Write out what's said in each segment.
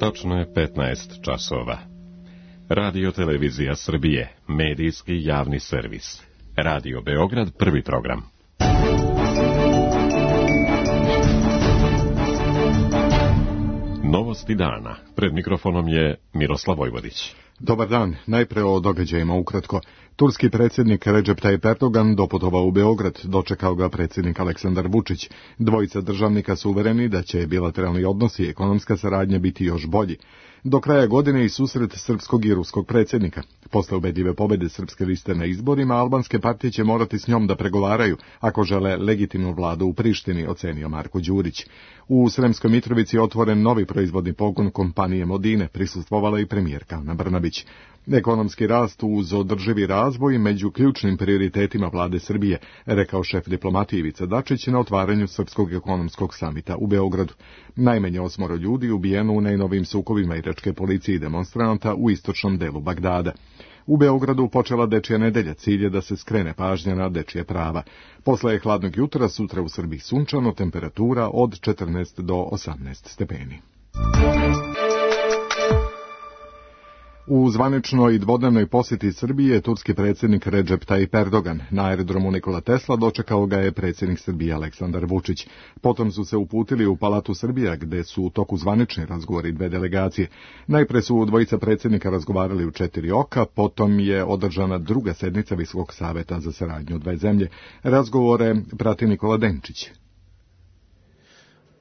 Tačno je 15 časova. Radio Televizija Srbije, medijski javni servis. Radio Beograd, prvi program. Novosti dana. Pred mikrofonom je Miroslav Vojvodić. Dobar dan. Najpre o događajima ukratko. Turski predsjednik Recep Tayyip Erdogan doputovao u Beograd, dočekao ga predsjednik Aleksandar Vučić. Dvojica državnika su uvereni da će bilateralni odnosi i ekonomska saradnja biti još bolji. Do kraja godine i susret srpskog i ruskog predsjednika. Posle ubedljive pobjede srpske liste na izborima, albanske partije će morati s njom da pregovaraju ako žele legitimnu vladu u Prištini, ocenio Marko Đurić. U Sremskoj Mitrovici je otvoren novi proizvodni pogon kompanije Modine, prisustvovala i premijerka Ana Brnabić. Ekonomski rast uz održivi razvoj među ključnim prioritetima vlade Srbije, rekao šef diplomatije Ivica Dačić na otvaranju Srpskog ekonomskog samita u Beogradu. Najmanje 8 ljudi ubijeno u najnovijim sukobima iračke policije i demonstranata u istočnom delu Bagdada. U Beogradu počela dečija nedelja, cilj je da se skrene pažnja na dečije prava. Posle hladnog jutra, sutra u Srbiji sunčano, temperatura od 14 do 18 stepeni. U zvaničnoj dvodnevnoj posjeti Srbije turski predsjednik Recep Tayyip Erdogan. Na aerodromu Nikola Tesla dočekao ga je predsjednik Srbije Aleksandar Vučić. Potom su se uputili u Palatu Srbija, gde su u toku zvanični razgovori dve delegacije. Najpre su dvojica predsjednika razgovarali u 4 oka, potom je održana druga sednica Visokog saveta za saradnju dve zemlje. Razgovore prati Nikola Denčić.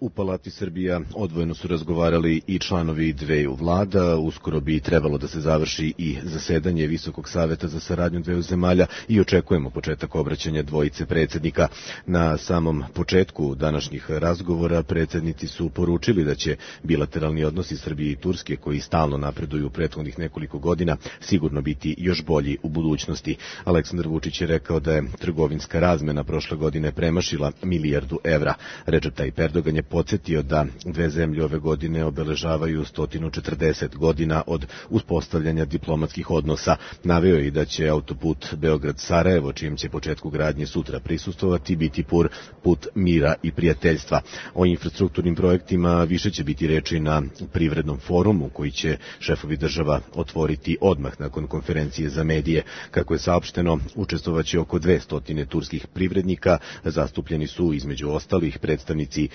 U Palati Srbija odvojeno su razgovarali i članovi dveju vlada, uskoro bi trebalo da se završi i zasedanje Visokog saveta za saradnju dveju zemalja i očekujemo početak obraćanja dvojice predsjednika. Na samom početku današnjih razgovora predsjednici su poručili da će bilateralni odnosi Srbije i Turske, koji stalno napreduju u prethodnih nekoliko godina, sigurno biti još bolji u budućnosti. Aleksandar Vučić je rekao da je trgovinska razmena prošle godine premašila milijardu evra. Recep Tayyip Erdogan je podsjetio da dve zemlje ove godine obeležavaju 140 godina od uspostavljanja diplomatskih odnosa. Naveo je i da će autoput Beograd-Sarajevo, čijem će početku gradnje sutra prisustvovati, biti put mira i prijateljstva. O infrastrukturnim projektima više će biti reči na privrednom forumu, koji će šefovi država otvoriti odmah nakon konferencije za medije. Kako je saopšteno, učestvovaće oko 200 turskih privrednika, zastupljeni su između ostalih predstavnici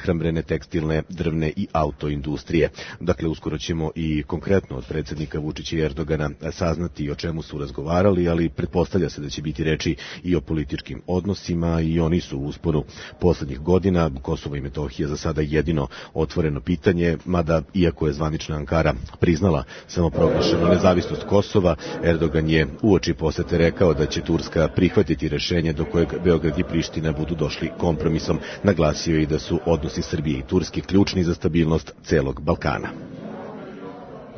prehrambene, tekstilne, drvne i autoindustrije. Dakle, uskoro ćemo i konkretno od predsjednika Vučića i Erdogana saznati o čemu su razgovarali, ali pretpostavlja se da će biti reči i o političkim odnosima i oni su u usponu poslednjih godina. Kosovo i Metohija za sada jedino otvoreno pitanje, mada iako je zvanična Ankara priznala samoproglašenu nezavisnost Kosova, Erdogan je uoči posete rekao da će Turska prihvatiti rešenje do kojeg Beograd i Priština budu došli kompromisom. Naglasio je i da su odnosi Srbije i Turske ključni za stabilnost celog Balkana.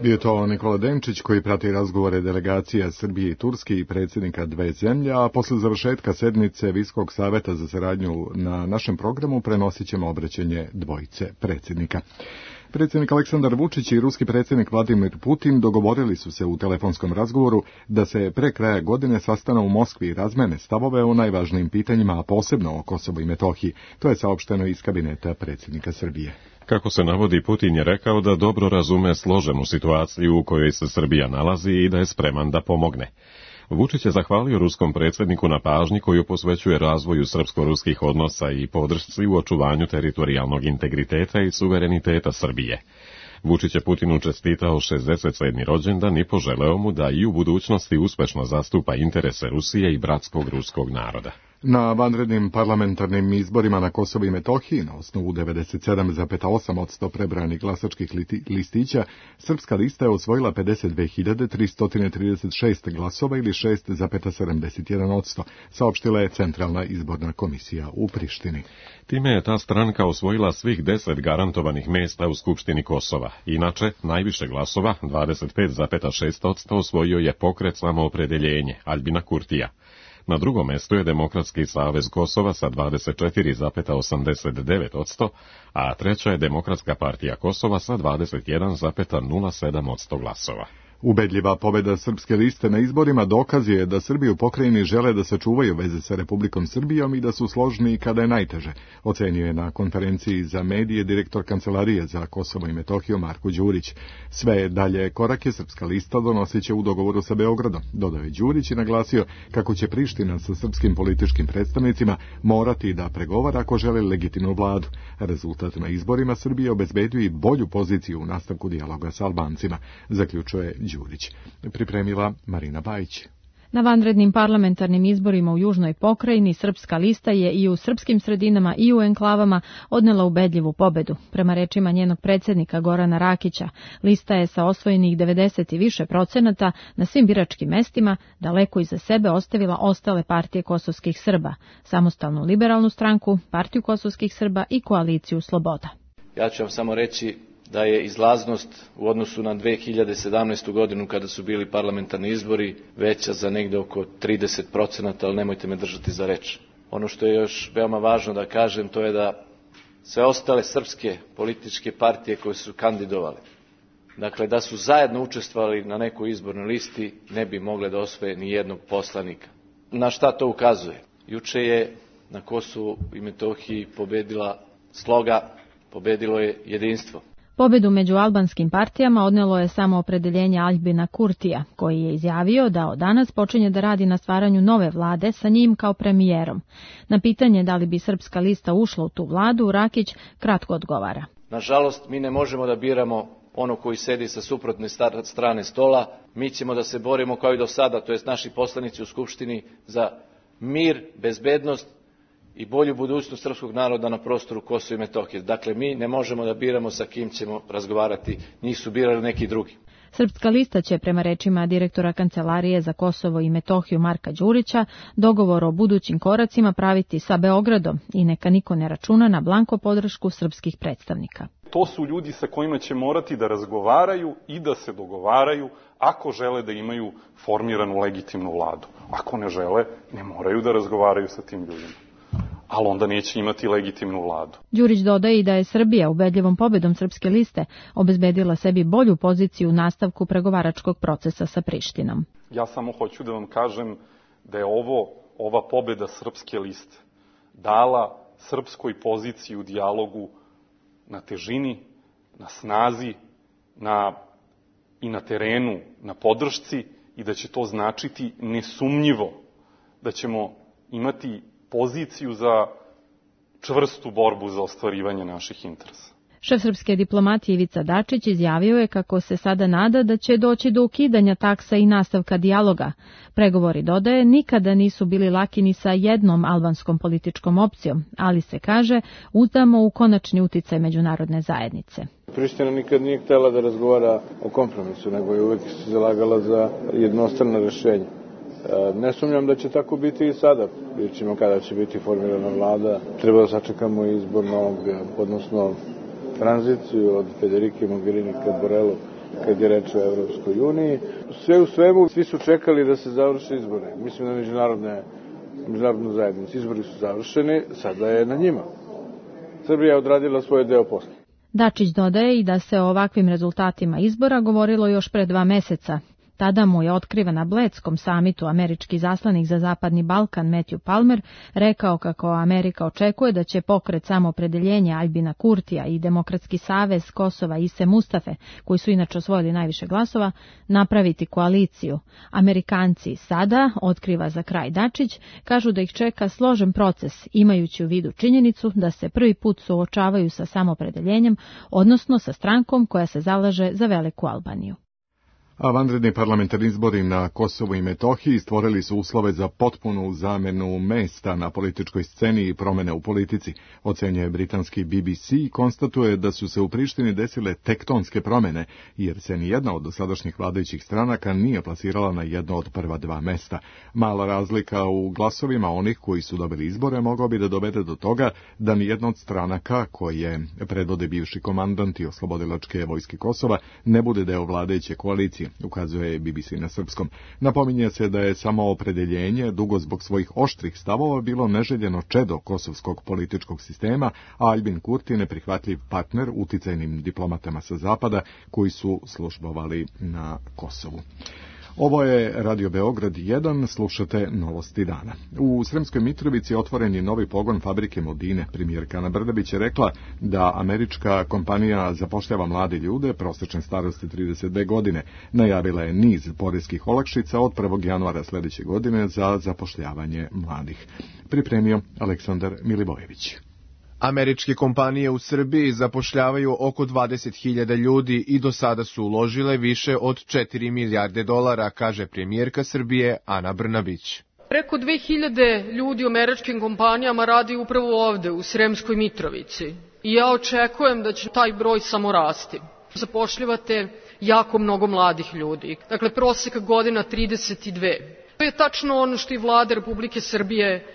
Bio to Nikola Denčić, koji prati razgovore delegacija Srbije i Turske i predsjednika dve zemlje, a posle završetka sednice Visokog saveta za saradnju na našem programu prenosit ćemo obraćanje dvojice predsjednika. Predsjednik Aleksandar Vučić i ruski predsjednik Vladimir Putin dogovorili su se u telefonskom razgovoru da se pre kraja godine sastanu u Moskvi i razmene stavove o najvažnijim pitanjima, a posebno o Kosovu i Metohiji. To je saopšteno iz kabineta predsjednika Srbije. Kako se navodi, Putin je rekao da dobro razume složenu situaciju u kojoj se Srbija nalazi i da je spreman da pomogne. Vučić je zahvalio ruskom predsjedniku na pažnji koju posvećuje razvoju srpsko-ruskih odnosa i podršci u očuvanju teritorijalnog integriteta i suvereniteta Srbije. Vučić je Putinu čestitao 67. rođendan i poželeo mu da i u budućnosti uspešno zastupa interese Rusije i bratskog ruskog naroda. Na vanrednim parlamentarnim izborima na Kosovu i Metohiji, na osnovu 97,8% prebranih glasačkih listića, srpska lista je osvojila 52.336 glasova ili 6,71%, saopštila je Centralna izborna komisija u Prištini. Time je ta stranka osvojila svih 10 garantovanih mjesta u Skupštini Kosova. Inače, najviše glasova, 25,6%, osvojio je pokret Samoopredeljenje, Aljbina Kurtija. Na drugom mjestu je Demokratski savez Kosova sa 24,89%, a treća je Demokratska partija Kosova sa 21,07% glasova. Ubedljiva pobjeda Srpske liste na izborima dokaz je da Srbi u pokrajini žele da sačuvaju veze sa Republikom Srbijom i da su složni kada je najteže, ocenio je na konferenciji za medije direktor Kancelarije za Kosovo i Metohiju Marko Đurić. Sve dalje korake Srpska lista donosit će u dogovoru sa Beogradom, dodao je Đurić i naglasio kako će Priština sa srpskim političkim predstavnicima morati da pregovara ako žele legitimnu vladu. Rezultat na izborima Srbije obezbedio i bolju poziciju u nastavku dijaloga sa Albancima, zaključuje Đurić. Pripremila Marina Bajić. Na vanrednim parlamentarnim izborima u Južnoj pokrajini Srpska lista je i u srpskim sredinama i u enklavama odnela ubedljivu pobedu. Prema rečima njenog predsjednika Gorana Rakića, lista je sa osvojenih 90 i više procenata na svim biračkim mestima daleko iza sebe ostavila ostale partije kosovskih Srba, Samostalnu liberalnu stranku, Partiju kosovskih Srba i Koaliciju Sloboda. Ja ću vam samo reći da je izlaznost u odnosu na 2017. godinu kada su bili parlamentarni izbori veća za negde oko 30%, ali nemojte me držati za reč. Ono što je još veoma važno da kažem, to je da sve ostale srpske političke partije koje su kandidovale, dakle da su zajedno učestvovali na nekoj izbornoj listi, ne bi mogle da osvoje ni jednog poslanika. Na šta to ukazuje? Juče je na Kosovu i Metohiji pobedila sloga, pobedilo je jedinstvo. Pobedu među albanskim partijama odnelo je samo opredeljenje Aljbina Kurtija, koji je izjavio da od danas počinje da radi na stvaranju nove vlade sa njim kao premijerom. Na pitanje da li bi Srpska lista ušla u tu vladu, Rakić kratko odgovara. Nažalost, mi ne možemo da biramo ono koji sedi sa suprotne strane stola. Mi ćemo da se borimo kao i do sada, to jest naši poslanici u Skupštini, za mir, bezbednost i bolju budućnost srpskog naroda na prostoru Kosova i Metohije. Dakle, mi ne možemo da biramo sa kim ćemo razgovarati, njih su birali neki drugi. Srpska lista će, prema rečima direktora Kancelarije za Kosovo i Metohiju Marka Đurića, dogovor o budućim koracima praviti sa Beogradom i neka niko ne računa na blanko podršku srpskih predstavnika. To su ljudi sa kojima će morati da razgovaraju i da se dogovaraju ako žele da imaju formiranu legitimnu vladu. Ako ne žele, ne moraju da razgovaraju sa tim ljudima, ali onda neće imati legitimnu vladu. Đurić dodaje i da je Srbija ubedljivom pobedom Srpske liste obezbedila sebi bolju poziciju u nastavku pregovaračkog procesa sa Prištinom. Ja samo hoću da vam kažem da je ova pobeda Srpske liste dala srpskoj poziciji u dijalogu na težini, na snazi, i na terenu, na podršci, i da će to značiti nesumnjivo da ćemo imati poziciju za čvrstu borbu za ostvarivanje naših interesa. Šef srpske diplomatije Ivica Dačić izjavio je kako se sada nada da će doći do ukidanja taksa i nastavka dijaloga. Pregovori, dodaje, nikada nisu bili laki ni sa jednom albanskom političkom opcijom, ali se kaže, uzdamo u konačni uticaj međunarodne zajednice. Priština nikad nije htjela da razgovara o kompromisu, nego je uvek se zalagala za jednostrano rešenje. Ne sumnjam da će tako biti i sada. Vidjet ćemo kada će biti formirana vlada. Treba da sačekamo izbor novog, odnosno tranziciju od Federike Mogherini ka Borelu, kad je reč o Evropskoj uniji. Sve u svemu, svi su čekali da se završe izbore. Mislim da međunarodnu zajednicu. Izbori su završeni, sada je na njima. Srbija je odradila svoj deo posla. Dačić dodaje i da se o ovakvim rezultatima izbora govorilo još pre 2 meseca. Tada mu je otkriven na Bledskom samitu američki zaslanik za Zapadni Balkan Matthew Palmer rekao kako Amerika očekuje da će pokret Samoopredeljenja Aljbina Kurtija i Demokratski savez Kosova Ise Mustafe, koji su inače osvojili najviše glasova, napraviti koaliciju. Amerikanci sada, otkriva za kraj Dačić, kažu da ih čeka složen proces, imajući u vidu činjenicu da se prvi put suočavaju sa samoopredeljenjem, odnosno sa strankom koja se zalaže za veliku Albaniju. A vanredni parlamentarni izbori na Kosovu i Metohiji stvorili su uslove za potpunu zamenu mesta na političkoj sceni i promene u politici, ocenjuje britanski BBC i konstatuje da su se u Prištini desile tektonske promene, jer se nijedna od dosadašnjih vladajućih stranaka nije plasirala na jedno od prva 2 mesta. Mala razlika u glasovima onih koji su dobili izbore mogao bi da dovede do toga da nijedna od stranaka koje predvode bivši komandanti oslobodilačke vojske Kosova ne bude deo vladajuće koalicije opozicije, ukazuje BBC na srpskom. Napominje se da je samo opredeljenje dugo zbog svojih oštrih stavova bilo neželjeno čedo kosovskog političkog sistema, a Albin Kurti neprihvatljiv partner uticajnim diplomatama sa zapada koji su službovali na Kosovu. Ovo je Radio Beograd 1, slušate Novosti dana. U Sremskoj Mitrovici otvoren je novi pogon fabrike Modine. Premijerka Ana Brnabić je rekla da američka kompanija zapošljava mlade ljude, prosječne starosti 32 godine. Najavila je niz poreskih olakšica od 1. januara sljedeće godine za zapošljavanje mladih. Pripremio Aleksandar Milivojević. Američke kompanije u Srbiji zapošljavaju oko 20.000 ljudi i do sada su uložile više od 4 milijarde dolara, kaže premijerka Srbije Ana Brnabić. Preko 2000 ljudi u američkim kompanijama radi upravo ovde, u Sremskoj Mitrovici. I ja očekujem da će taj broj samo rasti. Zapošljavate jako mnogo mladih ljudi. Dakle, prosjek godina 32. To je tačno ono što i vlada Republike Srbije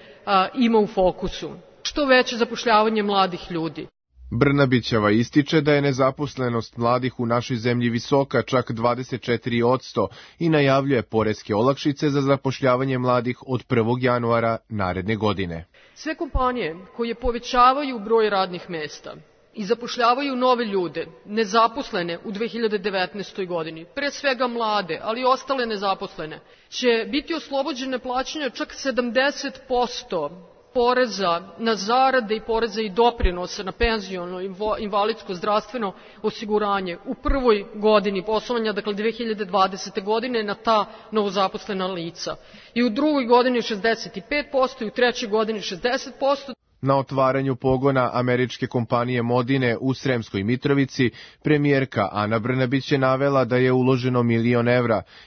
ima u fokusu. Što veće zapošljavanje mladih ljudi. Brnabićeva ističe da je nezaposlenost mladih u našoj zemlji visoka, čak 24%, i najavljuje poreske olakšice za zapošljavanje mladih od 1. januara naredne godine. Sve kompanije koje povećavaju broj radnih mesta i zapošljavaju nove ljude, nezaposlene u 2019. godini, pre svega mlade, ali i ostale nezaposlene, će biti oslobođene plaćanja čak 70% poreza na zarade i poreza i doprinose na penziono, invalidsko, zdravstveno osiguranje u prvoj godini poslovanja, dakle 2020. godine, na ta novozaposlena lica. I u drugoj godini 65% i u trećoj godini 60%. Na otvaranju pogona američke kompanije Modine u Sremskoj Mitrovici, premijerka Ana Brnabić je navela da je uloženo $1 milion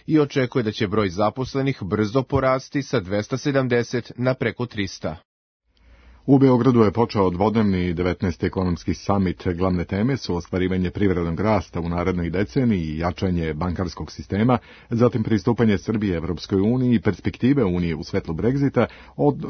i očekuje da će broj zaposlenih brzo porasti sa 270 na preko 300. U Beogradu je počeo dvodnevni 19. ekonomski samit. Glavne teme su ostvarivanje privrednog rasta u narednoj deceniji i jačanje bankarskog sistema, zatim pristupanje Srbije Evropskoj uniji i perspektive Unije u svetlu Brexita,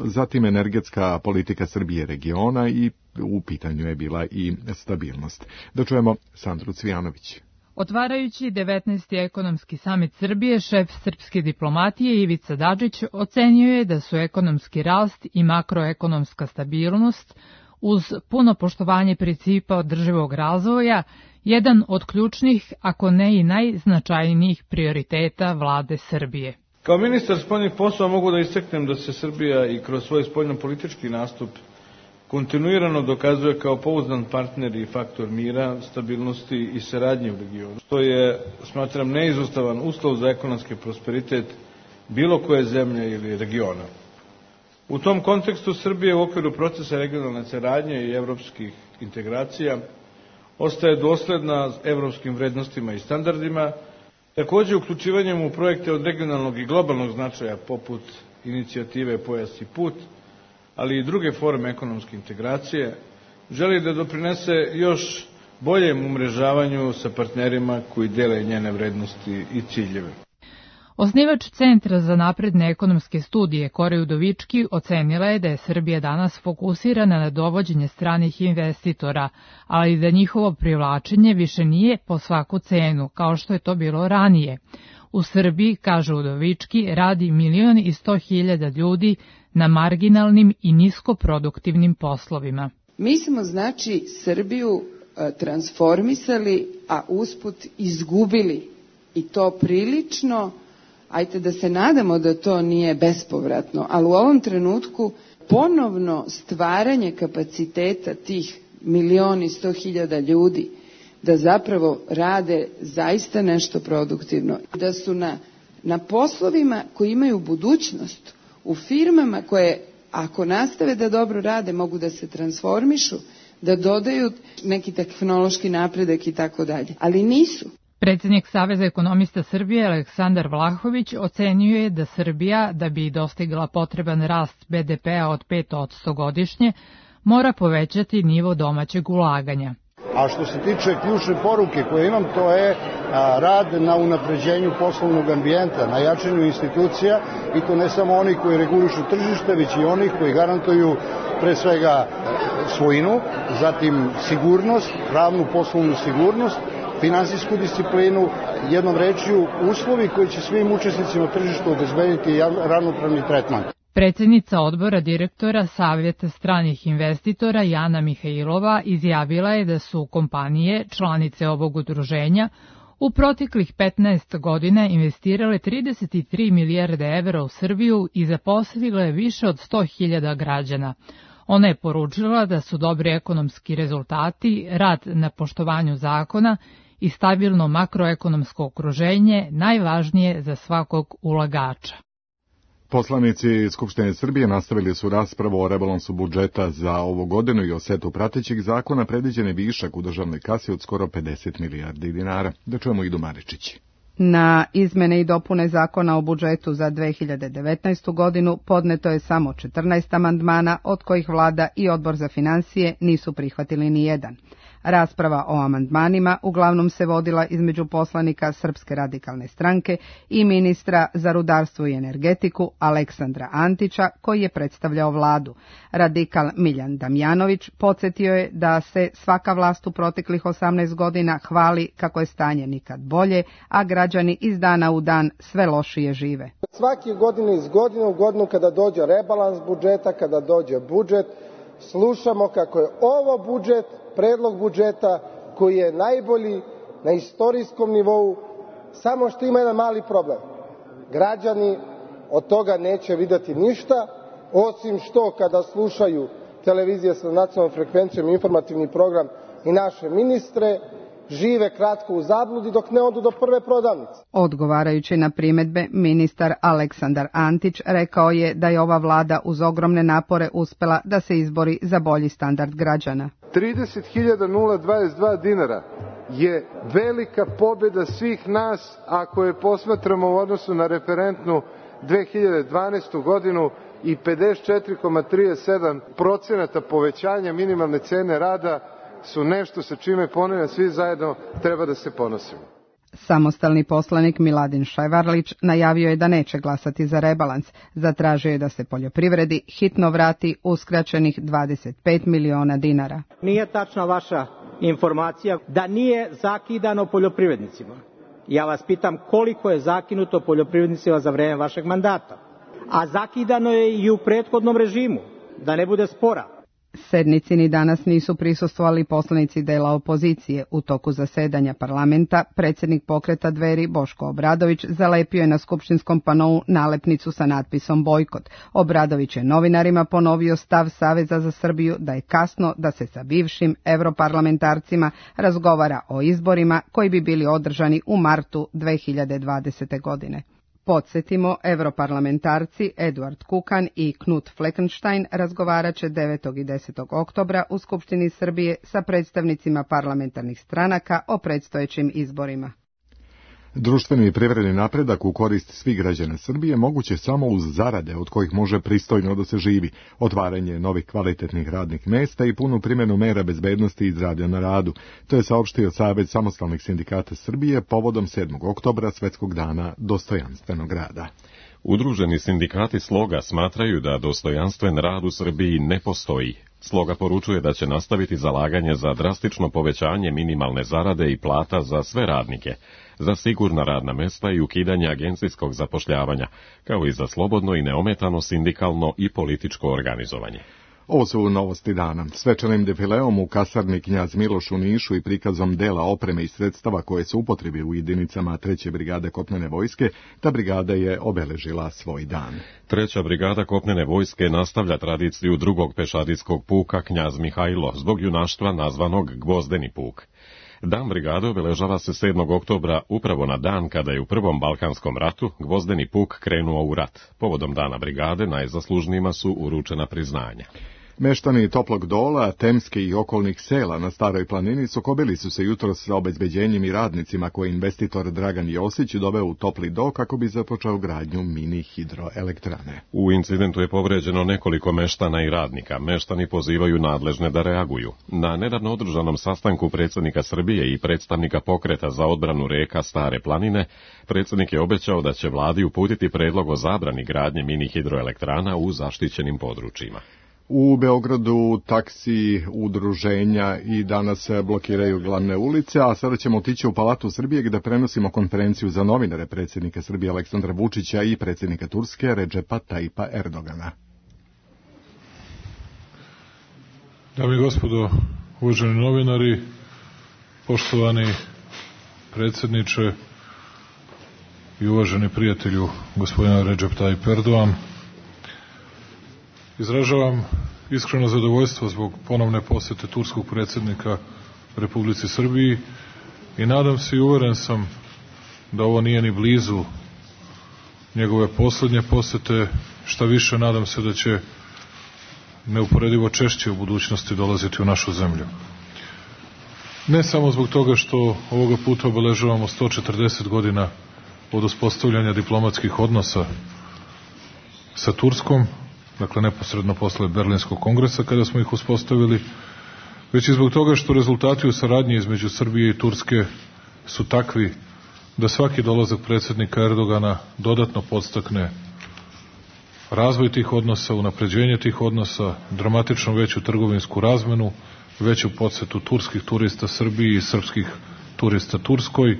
zatim energetska politika Srbije regiona i u pitanju je bila i stabilnost. Da čujemo Sandru Cvijanović. Otvarajući 19. ekonomski samit Srbije, šef srpske diplomatije Ivica Dačić ocenio je da su ekonomski rast i makroekonomska stabilnost uz puno poštovanje principa održivog razvoja jedan od ključnih, ako ne i najznačajnijih prioriteta vlade Srbije. Kao ministar spoljnih poslova mogu da istaknem da se Srbija i kroz svoj spoljnopolitički nastup kontinuirano dokazuje kao pouzdan partner i faktor mira, stabilnosti i saradnje u regionu, što je, smatram, neizostavan uslov za ekonomski prosperitet bilo koje zemlje ili regiona. U tom kontekstu Srbije u okviru procesa regionalne saradnje i evropskih integracija ostaje dosledna evropskim vrednostima i standardima, takođe uključivanjem u projekte od regionalnog i globalnog značaja poput inicijative Pojas i put, ali i druge forme ekonomske integracije, želi da doprinese još boljem umrežavanju sa partnerima koji dele njene vrednosti i ciljeve. Osnivač Centra za napredne ekonomske studije Kori Udovički ocenila je da je Srbija danas fokusirana na dovođenje stranih investitora, ali da njihovo privlačenje više nije po svaku cenu, kao što je to bilo ranije. U Srbiji, kaže Udovički, radi 1.100.000 ljudi na marginalnim i niskoproduktivnim poslovima. Mi smo, znači, Srbiju transformisali, a usput izgubili, i to prilično. Ajte da se nadamo da to nije bespovratno, ali u ovom trenutku ponovno stvaranje kapaciteta tih 1.100.000 ljudi da zapravo rade zaista nešto produktivno, da su na poslovima koji imaju budućnost, u firmama koje, ako nastave da dobro rade, mogu da se transformišu, da dodaju neki tehnološki napredak i tako dalje, ali nisu. Predsjednik Saveza ekonomista Srbije Aleksandar Vlahović ocenio je da Srbija, da bi dostigla potreban rast BDP-a od 5% godišnje, mora povećati nivo domaćeg ulaganja. A što se tiče ključne poruke koje imam, to je rad na unapređenju poslovnog ambijenta, na jačanju institucija, i to ne samo oni koji regulišu tržište, već i onih koji garantuju pre svega svojinu, zatim sigurnost, pravnu poslovnu sigurnost, finansijsku disciplinu, jednom rečju uslovi koji će svim učesnicima tržišta obezbediti ravnopravni tretman. Predsjednica odbora direktora Savjeta stranih investitora Jana Mihajlova izjavila je da su kompanije, članice ovog udruženja, u proteklih 15 godina investirale 33 milijarde evra u Srbiju i zaposlile više od 100.000 građana. Ona je poručila da su dobri ekonomski rezultati, rad na poštovanju zakona i stabilno makroekonomsko okruženje najvažnije za svakog ulagača. Poslanici Skupštine Srbije nastavili su raspravu o rebalansu budžeta za ovu godinu i o setu pratećih zakona. Predviđen je višak u državnoj kasi od skoro 50 milijardi dinara. Da čujemo Idu Maričić. Na izmene i dopune zakona o budžetu za 2019. godinu podneto je samo 14 amandmana, od kojih vlada i odbor za finansije nisu prihvatili ni jedan. Rasprava o amandmanima uglavnom se vodila između poslanika Srpske radikalne stranke i ministra za rudarstvo i energetiku Aleksandra Antića, koji je predstavljao vladu. Radikal Miljan Damjanović podsjetio je da se svaka vlast u proteklih 18 godina hvali kako je stanje nikad bolje, a građani iz dana u dan sve lošije žive. Svake godine iz godine u godinu kada dođe rebalans budžeta, kada dođe budžet, slušamo kako je ovo budžet, predlog budžeta koji je najbolji na istorijskom nivou, samo što ima jedan mali problem. Građani od toga neće vidjeti ništa, osim što kada slušaju televizije sa nacionalnom frekvencijom i informativni program i naše ministre, žive kratko u zabludi dok ne odu do prve prodavnice. Odgovarajući na primedbe, ministar Aleksandar Antić rekao je da je ova vlada uz ogromne napore uspela da se izbori za bolji standard građana. 30.022 dinara je velika pobjeda svih nas ako je posmatramo u odnosu na referentnu 2012. godinu i 54,37% povećanja minimalne cene rada su nešto sa čime ponavljam svi zajedno treba da se ponosimo. Samostalni poslanik Miladin Šajvarlić najavio je da neće glasati za rebalans. Zatražio je da se poljoprivredi hitno vrati uskraćenih 25 miliona dinara. Nije tačna vaša informacija da nije zakidano poljoprivrednicima. Ja vas pitam koliko je zakinuto poljoprivrednicima za vreme vašeg mandata. A zakidano je i u prethodnom režimu, da ne bude spora. Sednici ni danas nisu prisustvovali poslanici dela opozicije. U toku zasedanja parlamenta predsjednik pokreta Dveri Boško Obradović zalepio je na skupštinskom panou nalepnicu sa natpisom bojkot. Obradović je novinarima ponovio stav Saveza za Srbiju da je kasno da se sa bivšim europarlamentarcima razgovara o izborima koji bi bili održani u martu 2020. godine. Podsjetimo, europarlamentarci Eduard Kukan i Knut Fleckenstein razgovarat će 9. i 10. oktobra u Skupštini Srbije sa predstavnicima parlamentarnih stranaka o predstojećim izborima. Društveni i privredni napredak u korist svih građana Srbije moguće samo uz zarade od kojih može pristojno da se živi, otvaranje novih kvalitetnih radnih mesta i punu primjenu mera bezbednosti i zdravlja na radu. To je saopštio Savez samostalnih sindikata Srbije povodom 7. oktobra, Svetskog dana dostojanstvenog rada. Udruženi sindikati Sloga smatraju da dostojanstven rad u Srbiji ne postoji. Sloga poručuje da će nastaviti zalaganje za drastično povećanje minimalne zarade i plata za sve radnike, za sigurna radna mesta i ukidanje agencijskog zapošljavanja, kao i za slobodno i neometano sindikalno i političko organizovanje. Ovo su novosti dana. Svečanim defileom u kasarni Knjaz Miloš u Nišu i prikazom dela opreme i sredstava koje su upotrebi u jedinicama 3. brigade kopnene vojske, ta brigada je obeležila svoj dan. 3. brigada kopnene vojske nastavlja tradiciju drugog pešadijskog puka Knjaz Mihajlo, zbog junaštva nazvanog Gvozdeni puk. Dan brigade obeležava se 7. oktobra, upravo na dan kada je u Prvom Balkanskom ratu Gvozdeni puk krenuo u rat. Povodom dana brigade najzaslužnijima su uručena priznanja. Meštani Toplog Dola, Temske i okolnih sela na Staroj planini sukobili su se jutros sa obezbeđenjem i radnicima koje investitor Dragan Josić doveo u Topli Do kako bi započeo gradnju mini hidroelektrane. U incidentu je povređeno nekoliko meštana i radnika. Meštani pozivaju nadležne da reaguju. Na nedavno održanom sastanku predsjednika Srbije i predstavnika pokreta za odbranu reka Stare planine, predsjednik je obećao da će vladi uputiti predlog o zabrani gradnje mini hidroelektrana u zaštićenim područjima. U Beogradu taksi, udruženja i danas blokiraju glavne ulice, a sada ćemo otići u Palatu Srbije gde prenosimo konferenciju za novinare predsjednika Srbije Aleksandra Vučića i predsjednika Turske Redžepa Tajipa Erdogana. Dame i gospodo, uvaženi novinari, poštovani predsjedniče i uvaženi prijatelju gospodina Redžep Tajip Erdogan, izražavam iskreno zadovoljstvo zbog ponovne posete turskog predsjednika Republici Srbiji i nadam se i uveren sam da ovo nije ni blizu njegove posljednje posete, šta više nadam se da će neuporedivo češće u budućnosti dolaziti u našu zemlju. Ne samo zbog toga što ovoga puta obeležavamo 140 godina od uspostavljanja diplomatskih odnosa sa Turskom, dakle neposredno posle Berlinskog kongresa kada smo ih uspostavili, već i zbog toga što rezultati u saradnji između Srbije i Turske su takvi da svaki dolazak predsjednika Erdogana dodatno podstakne razvoj tih odnosa, unapređenje tih odnosa, dramatično veću trgovinsku razmenu, veću posetu turskih turista Srbiji i srpskih turista Turskoj,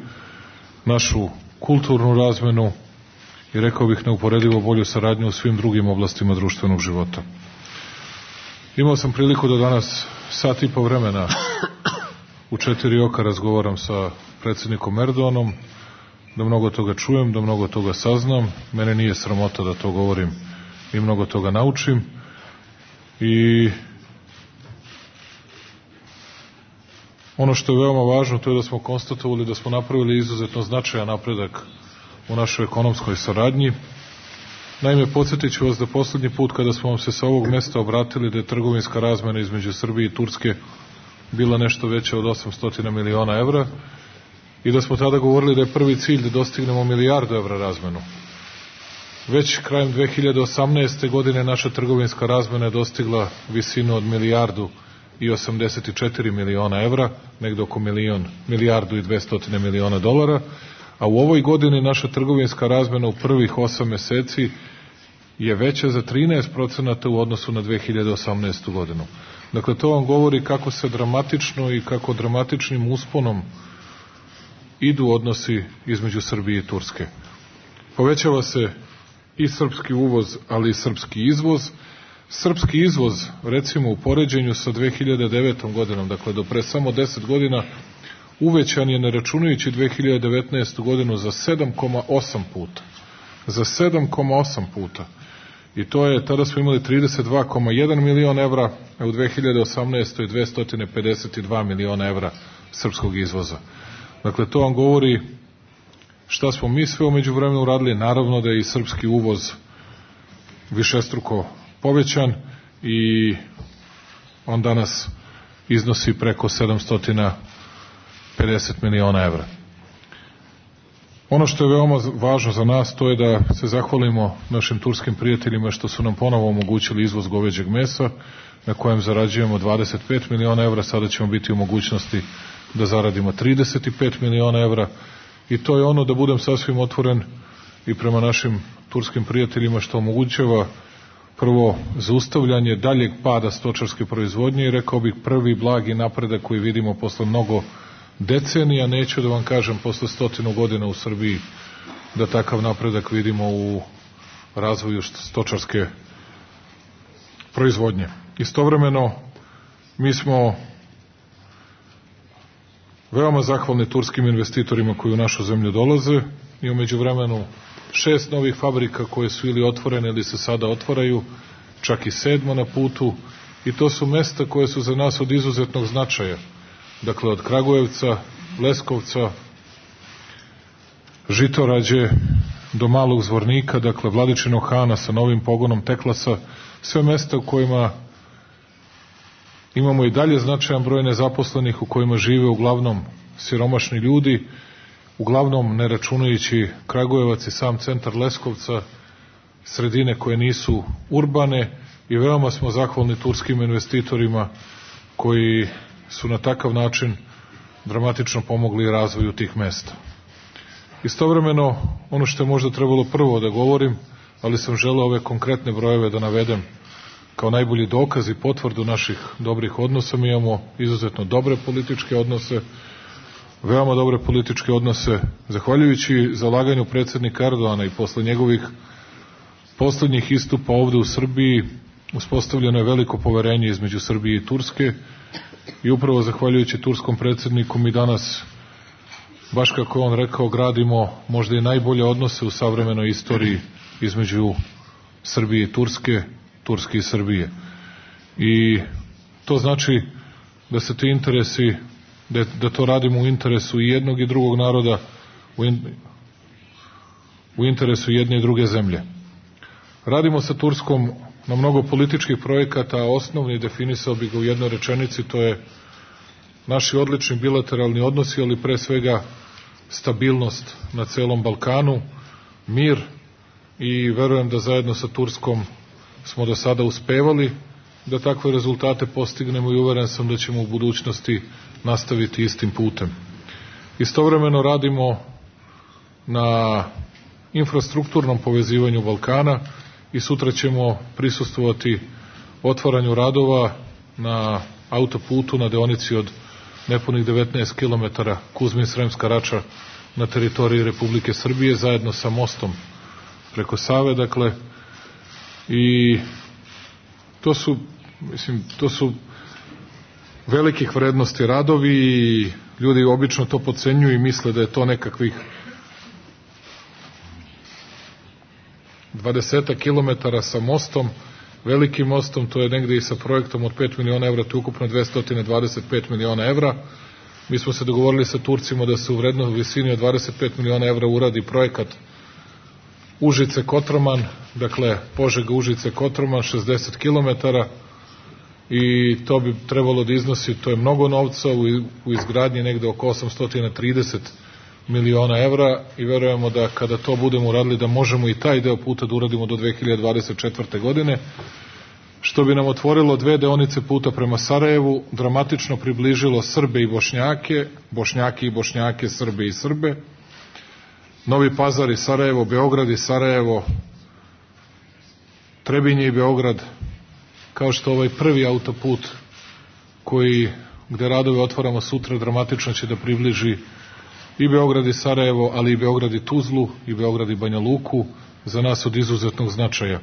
našu kulturnu razmenu i rekao bih neuporedivo bolju saradnju u svim drugim oblastima društvenog života. Imao sam priliku da danas sat i po vremena u 4 oka razgovaram sa predsjednikom Erdoganom, da mnogo toga čujem, da mnogo toga saznam. Mene nije sramota da to govorim i mnogo toga naučim. I ono što je veoma važno, to je da smo konstatovali da smo napravili izuzetno značajan napredak u našoj ekonomskoj saradnji. Naime, podsjetit ću vas da poslednji put kada smo vam se sa ovog mesta obratili da je trgovinska razmena između Srbije i Turske bila nešto veća od 800 miliona evra i da smo tada govorili da je prvi cilj da dostignemo milijardu evra razmenu. Već krajem 2018. godine naša trgovinska razmena je dostigla visinu od milijardu i 84 miliona evra, negde oko milijardu i 200 miliona dolara, a u ovoj godini naša trgovinska razmena u prvih 8 meseci je veća za 13% u odnosu na 2018. godinu. Dakle, to vam govori kako se dramatično i kako dramatičnim usponom idu odnosi između Srbije i Turske. Povećava se i srpski uvoz, ali i srpski izvoz. Srpski izvoz, recimo u poređenju sa 2009. godinom, dakle do pre samo 10 godina, uvećan je, ne računajući 2019. godinu, za 7,8 puta. Za 7,8 puta. I to je, tada smo imali 32,1 milion evra, a u 2018. 252 miliona evra srpskog izvoza. Dakle, to vam govori šta smo mi sve umeđu vremenu uradili. Naravno da je i srpski uvoz višestruko povećan i on danas iznosi preko 750 miliona evra. Ono što je veoma važno za nas, to je da se zahvalimo našim turskim prijateljima što su nam ponovo omogućili izvoz goveđeg mesa, na kojem zarađujemo 25 miliona evra, sada ćemo biti u mogućnosti da zaradimo 35 miliona evra i to je ono, da budem sasvim otvoren i prema našim turskim prijateljima, što omogućava prvo zaustavljanje daljeg pada stočarske proizvodnje i rekao bih prvi blagi napredak koji vidimo posle mnogo decenija, neću da vam kažem posle 100 godina u Srbiji, da takav napredak vidimo u razvoju stočarske proizvodnje. Istovremeno, mi smo veoma zahvalni turskim investitorima koji u našu zemlju dolaze i u međuvremenu 6 novih fabrika koje su ili otvorene ili se sada otvaraju, čak i 7 na putu, i to su mesta koje su za nas od izuzetnog značaja. Dakle, od Kragujevca, Leskovca, Žitorađe do Malog Zvornika, dakle Vladičinog Hana sa novim pogonom Teklasa, sve mesta u kojima imamo i dalje značajan broj nezaposlenih, u kojima žive uglavnom siromašni ljudi, uglavnom ne računajući Kragujevac i sam centar Leskovca, sredine koje nisu urbane, i veoma smo zahvalni turskim investitorima koji su na takav način dramatično pomogli razvoju tih mesta. Istovremeno, ono što je možda trebalo prvo da govorim, ali sam želeo ove konkretne brojeve da navedem kao najbolji dokaz i potvrdu naših dobrih odnosa. Mi imamo izuzetno dobre političke odnose, veoma dobre političke odnose. Zahvaljujući zalaganju predsjednika Erdoana i posle njegovih poslednjih istupa ovde u Srbiji, uspostavljeno je veliko poverenje između Srbije i Turske i upravo zahvaljujući turskom predsjedniku mi danas, baš kako je on rekao, gradimo možda i najbolje odnose u savremenoj istoriji između Srbije i Turske, Turske i Srbije. I to znači da se ti interesi, da to radimo u interesu i jednog i drugog naroda, u interesu jedne i druge zemlje. Radimo sa Turskom na mnogo političkih projekata, a osnovni definisao bi ga u jednoj rečenici, to je naši odlični bilateralni odnosi, ali pre svega stabilnost na celom Balkanu, mir, i verujem da zajedno sa Turskom smo do sada uspevali da takve rezultate postignemo i uveren sam da ćemo u budućnosti nastaviti istim putem. Istovremeno radimo na infrastrukturnom povezivanju Balkana i sutra ćemo prisustvovati otvaranju radova na autoputu na deonici od nepunih 19 km Kuzmin-Sremska Rača na teritoriji Republike Srbije zajedno sa mostom preko Save, dakle, i to su velikih vrednosti radovi i ljudi obično to podcenjuju i misle da je to nekakvih 20 kilometara sa mostom, velikim mostom, to je negde i sa projektom od 5 miliona evra, to je ukupno 225 miliona evra. Mi smo se dogovorili sa Turcima da se u vrednoj visini od 25 miliona evra uradi projekat Užice-Kotroman, dakle Požega-Užice-Kotroman, 60 kilometara, i to bi trebalo da iznosi, to je mnogo novca, u izgradnji negde oko 830 miliona evra i verujemo da kada to budemo uradili da možemo i taj deo puta da uradimo do 2024. godine, što bi nam otvorilo 2 deonice puta prema Sarajevu, dramatično približilo Srbe i Bošnjake, Bošnjake i Bošnjake, Srbe i Srbe, Novi Pazar i Sarajevo, Beograd i Sarajevo, Trebinje i Beograd, kao što ovaj prvi autoput gde radove otvaramo sutra dramatično će da približi i Beograd i Sarajevo, ali i Beograd i Tuzlu, i Beograd i Banja Luku, za nas od izuzetnog značaja.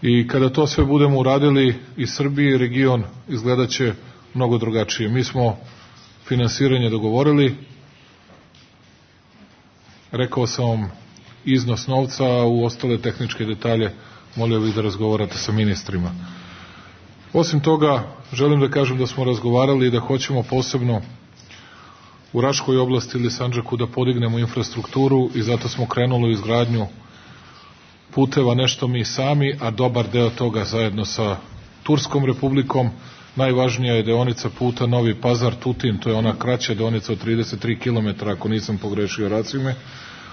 I kada to sve budemo uradili, i Srbije i region izgledaće mnogo drugačije. Mi smo finansiranje dogovorili, rekao sam vam iznos novca, a u ostale tehničke detalje molio bih da razgovarate sa ministrima. Osim toga, želim da kažem da smo razgovarali i da hoćemo posebno u Raškoj oblasti ili Sandžaku da podignemo infrastrukturu i zato smo krenuli u izgradnju puteva, nešto mi sami, a dobar deo toga zajedno sa Turskom republikom. Najvažnija je deonica puta Novi Pazar-Tutin, to je ona kraća deonica od 33 km, ako nisam pogrešio racime,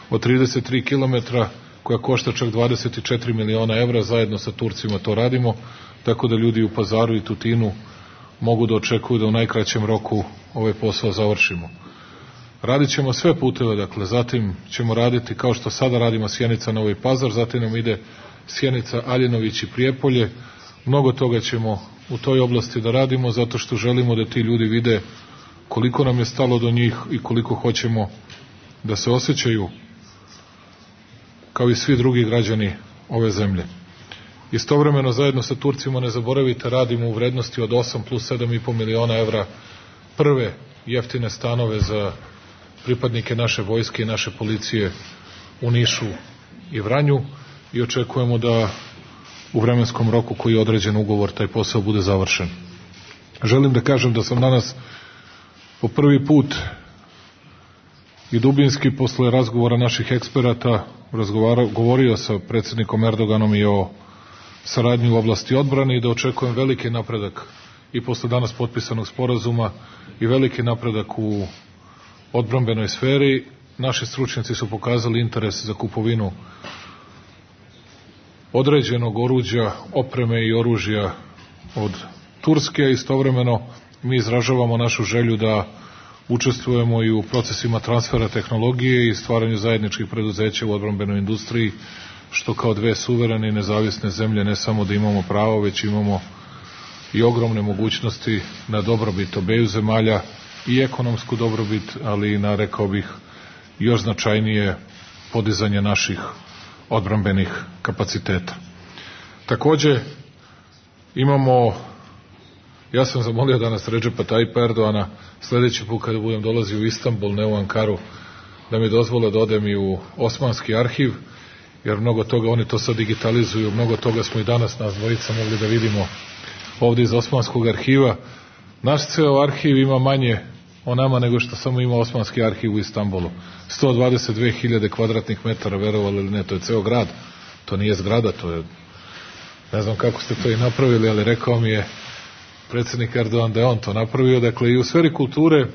od 33 km koja košta čak 24 miliona evra, zajedno sa Turcima to radimo, tako da ljudi u Pazaru i Tutinu mogu da očekuju da u najkraćem roku ovaj posao završimo. Radit ćemo sve puteve, dakle, zatim ćemo raditi kao što sada radimo Sjenica-Novi Pazar, zatim nam ide Sjenica-Aljinović i Prijepolje. Mnogo toga ćemo u toj oblasti da radimo, zato što želimo da ti ljudi vide koliko nam je stalo do njih i koliko hoćemo da se osjećaju kao i svi drugi građani ove zemlje. Istovremeno, zajedno sa Turcima, ne zaboravite, radimo u vrednosti od 8 plus 7,5 miliona evra prve jeftine stanove za pripadnike naše vojske i naše policije u Nišu i Vranju i očekujemo da u vremenskom roku koji je određen ugovor taj posao bude završen. Želim da kažem da sam danas po prvi put i dubinski posle razgovora naših eksperata govorio sa predsjednikom Erdoganom i o saradnji u oblasti odbrane i da očekujem veliki napredak i posle danas potpisanog sporazuma i veliki napredak u odbrambenoj sferi. Naši stručnjaci su pokazali interes za kupovinu određenog oruđa, opreme i oružja od Turske, a istovremeno mi izražavamo našu želju da učestvujemo i u procesima transfera tehnologije i stvaranju zajedničkih preduzeća u odbrambenoj industriji, što kao dve suverene i nezavisne zemlje ne samo da imamo pravo, već imamo i ogromne mogućnosti na dobrobit obeju zemalja i ekonomsku dobrobit, ali i na, rekao bih, još značajnije podizanje naših odbrambenih kapaciteta. Takođe, imamo, ja sam zamolio danas Redžepa Tajipa Erdoana, sledeći put kada budem dolazio u Istanbul, ne u Ankaru, da mi dozvole da odem i u Osmanski arhiv, jer mnogo toga, oni to sad digitalizuju, mnogo toga smo i danas nas dvojica mogli da vidimo ovde iz Osmanskog arhiva. Naš ceo arhiv ima manje o nama nego što samo ima Osmanski arhiv u Istanbulu. 122.000 kvadratnih metara, verovali ili ne, to je ceo grad, to nije zgrada, to je, ne znam kako ste to i napravili, ali rekao mi je predsjednik Erdogan da je on to napravio. Dakle, i u sferi kulture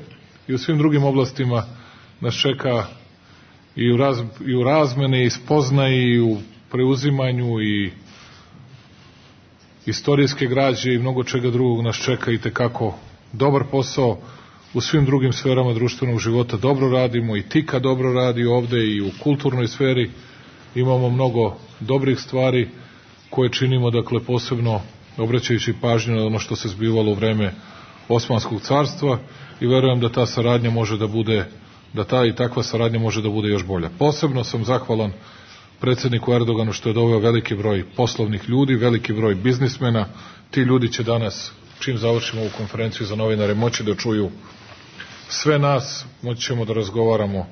i u svim drugim oblastima nas čeka i u razmene, i spoznaji, i u preuzimanju, i istorijske građe i mnogo čega drugog nas čeka i tekako dobar posao. U svim drugim sferama društvenog života dobro radimo, i Tika dobro radi ovde, i u kulturnoj sferi imamo mnogo dobrih stvari koje činimo, dakle, posebno obraćajući pažnju na ono što se zbivalo u vreme Osmanskog carstva, i verujem da ta saradnja može da bude, da ta i takva saradnja može da bude još bolja. Posebno sam zahvalan predsjedniku Erdoganu što je doveo veliki broj poslovnih ljudi, veliki broj biznismena. Ti ljudi će danas, čim završimo ovu konferenciju za novinare, moći da čuju sve nas, moći ćemo da razgovaramo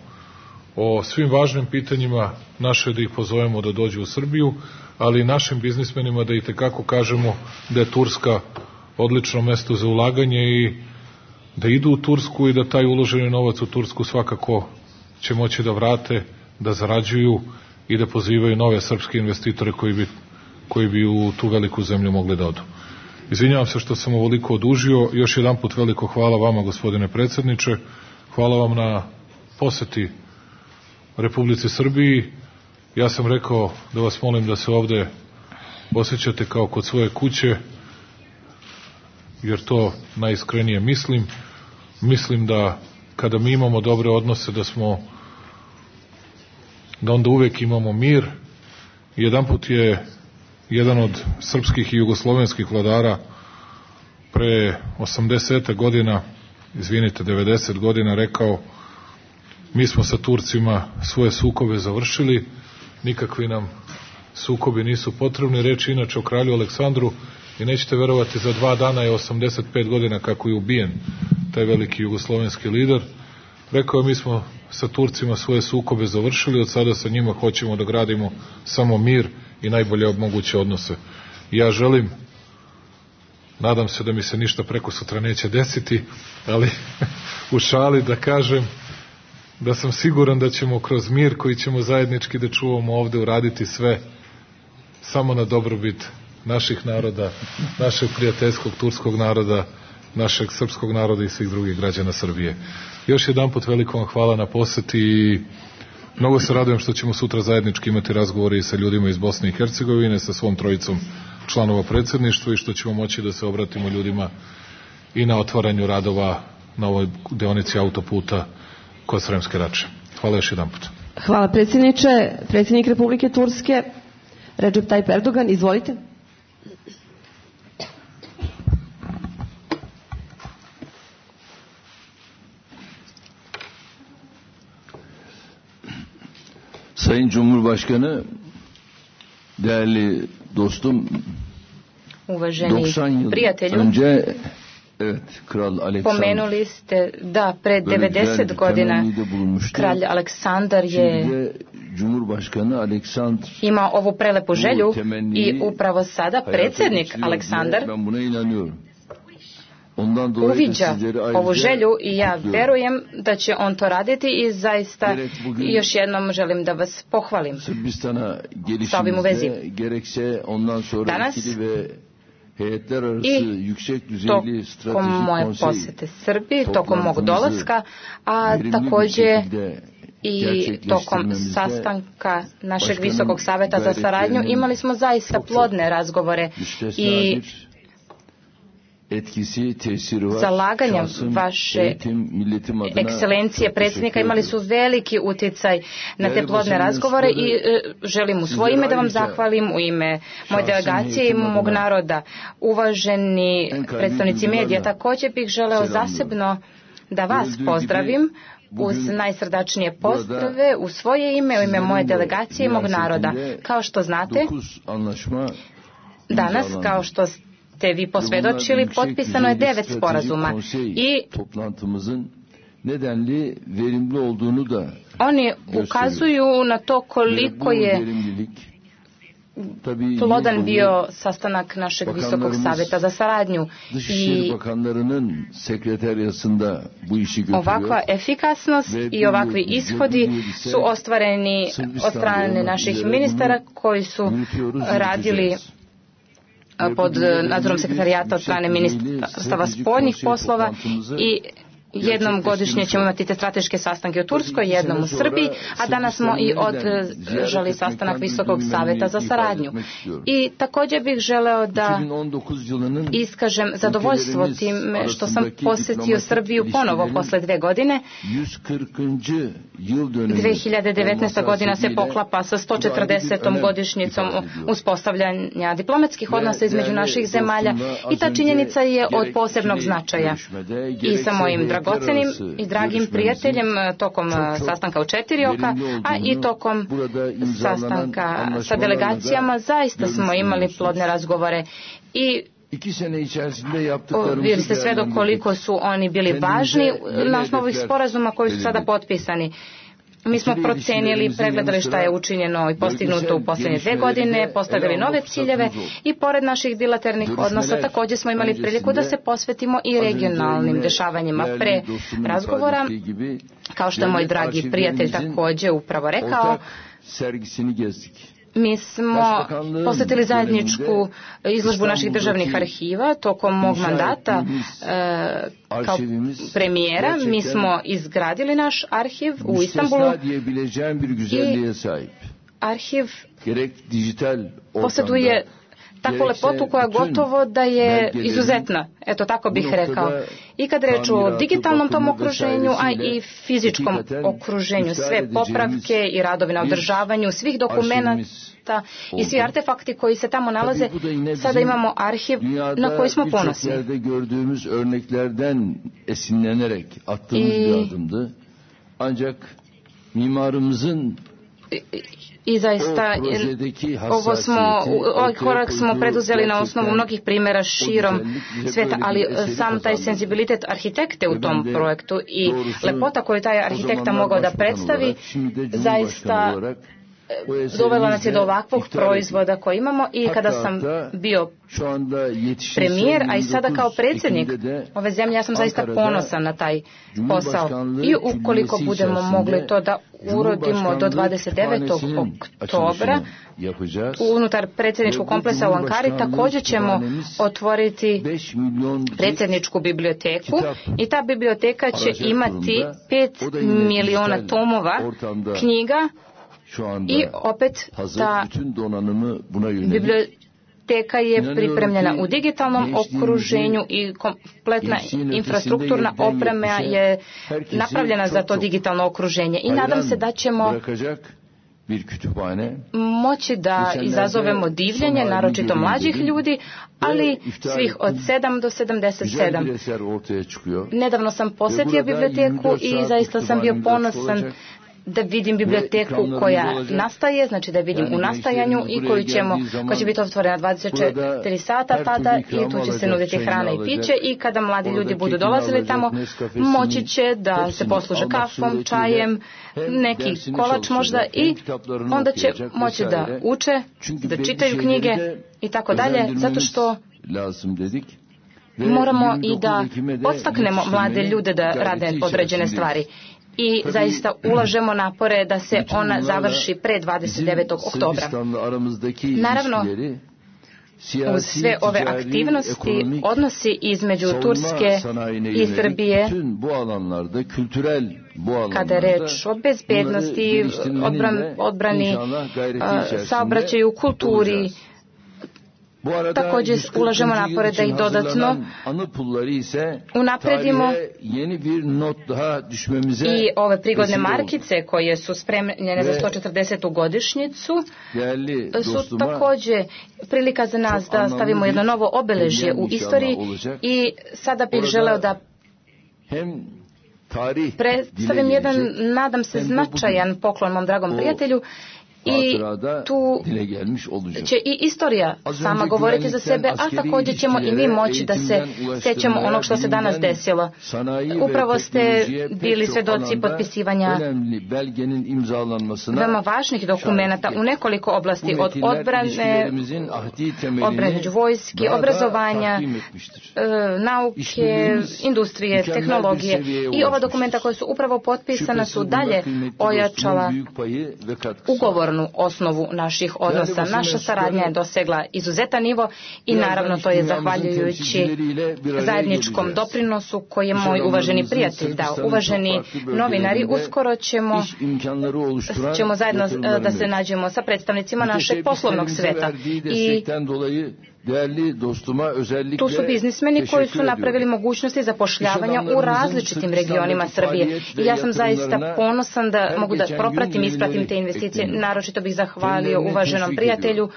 o svim važnim pitanjima naše, da ih pozovemo da dođu u Srbiju, ali i našim biznismenima da i tekako kažemo da je Turska odlično mesto za ulaganje i da idu u Tursku i da taj uloženi novac u Tursku svakako će moći da vrate, da zarađuju i da pozivaju nove srpske investitore koji bi u tu veliku zemlju mogli da odu. Izvinjavam se što sam ovoliko odužio. Još jedan put veliko hvala vama, gospodine predsjedniče. Hvala vam na poseti Republici Srbiji. Ja sam rekao da vas molim da se ovde osjećate kao kod svoje kuće, jer to najiskrenije mislim. Mislim da kada mi imamo dobre odnose, da onda uvek imamo mir. Jedanput je jedan od srpskih i jugoslovenskih vladara pre 80 godina, 90 godina rekao: mi smo sa Turcima svoje sukobe završili, nikakvi nam sukobi nisu potrebni. Reč inače o kralju Aleksandru, i nećete verovati, za 2 dana je 85 godina kako je ubijen taj veliki jugoslovenski lider. Rekao je: mi smo sa Turcima svoje sukobe završili, od sada sa njima hoćemo da gradimo samo mir i najbolje moguće odnose. Ja želim, nadam se da mi se ništa preko sutra neće desiti, ali u šali da kažem da sam siguran da ćemo kroz mir koji ćemo zajednički da čuvamo ovde uraditi sve samo na dobrobit naših naroda, našeg prijateljskog turskog naroda, našeg srpskog naroda i svih drugih građana Srbije. Još jedan put veliko vam hvala na poseti i mnogo se radujem što ćemo sutra zajednički imati razgovore i sa ljudima iz Bosne i Hercegovine, sa svom trojicom članova predsjedništva, i što ćemo moći da se obratimo ljudima i na otvaranju radova na ovoj deonici autoputa kod Sremske Rače. Hvala još jedan put. Hvala predsjedniče. Predsjednik Republike Turske, Recep Tayyip Erdogan, izvolite. Sayın Cumhurbaşkanı, değerli dostum, uvaženi 90 yıl prijatelju, önce Kral Aleksandar, pomenuli ste da pre 90 godina kralj Aleksandar je imao ovu prelepu želju i upravo sada predsjednik Aleksandar uviđa ovu želju i ja verujem da će on to raditi i zaista još jednom želim da vas pohvalim sa ovim u vezi. Danas i tokom moje posete Srbiji, tokom mog dolaska, a također i tokom sastanka našeg Visokog saveta za saradnju imali smo zaista plodne razgovore i zalaganja vaše ekscelencije predsjednika imali su veliki utjecaj na te plodne razgovore i želim u svoje ime da vam zahvalim, u ime moje delegacije i mog naroda. Uvaženi predstavnici medija, također bih želeo zasebno da vas pozdravim uz najsrdačnije pozdrave u svoje ime, u ime moje delegacije i mog naroda. Kao što znate, danas, kao što ste vi posvjedočili, potpisano je 9 sporazuma i oni ukazuju na to koliko je plodan bio sastanak našeg Visokog savjeta za saradnju i ovakva efikasnost i ovakvi ishodi su ostvareni od strane naših ministara koji su radili pod nadzorom sekretarijata od strane ministarstava spoljnih poslova i jednom godišnje ćemo imati te strateške sastanke u Turskoj, jednom u Srbiji, a danas smo i održali sastanak Visokog savjeta za saradnju. I također bih želeo da iskažem zadovoljstvo time što sam posjetio Srbiju ponovo posle 2 godine. 2019. godina se poklapa sa 140. godišnjicom uspostavljanja diplomatskih odnosa između naših zemalja i ta činjenica je od posebnog značaja. I sa mojim dragocenim i dragim prijateljem tokom sastanka u 4 oka, a i tokom sastanka sa delegacijama zaista smo imali plodne razgovore i vidjeli ste sve do koliko su oni bili važni na osnovu ovih sporazuma koji su sada potpisani. Mi smo procenili, pregledali šta je učinjeno i postignuto u posljednje 2 godine, postavili nove ciljeve i pored naših bilateralnih odnosa također smo imali priliku da se posvetimo i regionalnim dešavanjima. Pre razgovora, kao što je moj dragi prijatelj također upravo rekao, mi smo posjetili zajedničku izložbu naših državnih arhiva tokom mog mandata kao premijera. Mi smo izgradili naš arhiv u Istanbulu i arhiv posjeduje takvu lepotu koja gotovo da je izuzetna, eto tako bih rekao. I kad reč o digitalnom tom okruženju, a i fizičkom okruženju, sve popravke i radovi na održavanju svih dokumenata i svi artefakti koji se tamo nalaze, sada imamo arhiv na koji smo ponosni. I zaista ovaj korak smo preduzeli na osnovu mnogih primjera širom svijeta, ali sam taj senzibilitet arhitekte u tom projektu i lepota koju taj arhitekta mogao da predstavi zaista dovela nas je do ovakvog proizvoda koji imamo. I kada sam bio premijer, a i sada kao predsjednik ove zemlje, ja sam zaista ponosan na taj posao. I ukoliko budemo mogli to da urodimo do 29. oktobra unutar predsjedničkog kompleksa u Ankari, također ćemo otvoriti predsjedničku biblioteku i ta biblioteka će imati 5 miliona tomova knjiga. I opet ta biblioteka je pripremljena u digitalnom okruženju i kompletna infrastrukturna oprema je napravljena za to digitalno okruženje. I nadam se da ćemo moći da izazovemo divljenje, naročito mlađih ljudi, ali svih od 7 do 77. Nedavno sam posjetio biblioteku i zaista sam bio ponosan da vidim biblioteku koja nastaje, znači da vidim u nastajanju i koja će biti otvorena 24 sata tada i tu će se nuditi hrana i piće i kada mladi ljudi budu dolazili tamo moći će da se posluže kafom, čajem, neki kolač možda i onda će moći da uče, da čitaju knjige i tako dalje, zato što moramo i da podstaknemo mlade ljude da rade određene stvari. I zaista ulažemo napore da se ona završi pre 29. oktobra. Naravno, uz sve ove aktivnosti, odnosi između Turske i Srbije, kada je reč o bezbednosti, odbrani, saobraćaju, kulturi, Također ulažemo napore da ih dodatno unapredimo i ove prigodne markice koje su spremljene za 140. godišnjicu su također prilika za nas da stavimo jedno novo obeležje u istoriji i sada bih želeo da predstavim jedan, nadam se, značajan poklon mom dragom prijatelju. I tu će i istorija sama govoriti za sebe, a također ćemo i mi moći da se sjećamo onog što se danas desilo. Upravo ste bili svedoci potpisivanja veoma važnih dokumenata u nekoliko oblasti, od odbrane među vojski, obrazovanja, nauke, industrije, tehnologije. I ova dokumenta koja su upravo potpisana su dalje ojačala ugovornu osnovu naših odnosa. Naša saradnja je dosegla izuzetan nivo i naravno to je zahvaljujući zajedničkom doprinosu koji je moj uvaženi prijatelj dao. Uvaženi novinari, uskoro ćemo zajedno da se nađemo sa predstavnicima našeg poslovnog sveta i tu su biznismeni koji su napravili mogućnosti zapošljavanja u različitim regionima Srbije. I ja sam zaista ponosan da mogu da propratim i ispratim te investicije. Naročito bih zahvalio uvaženom prijatelju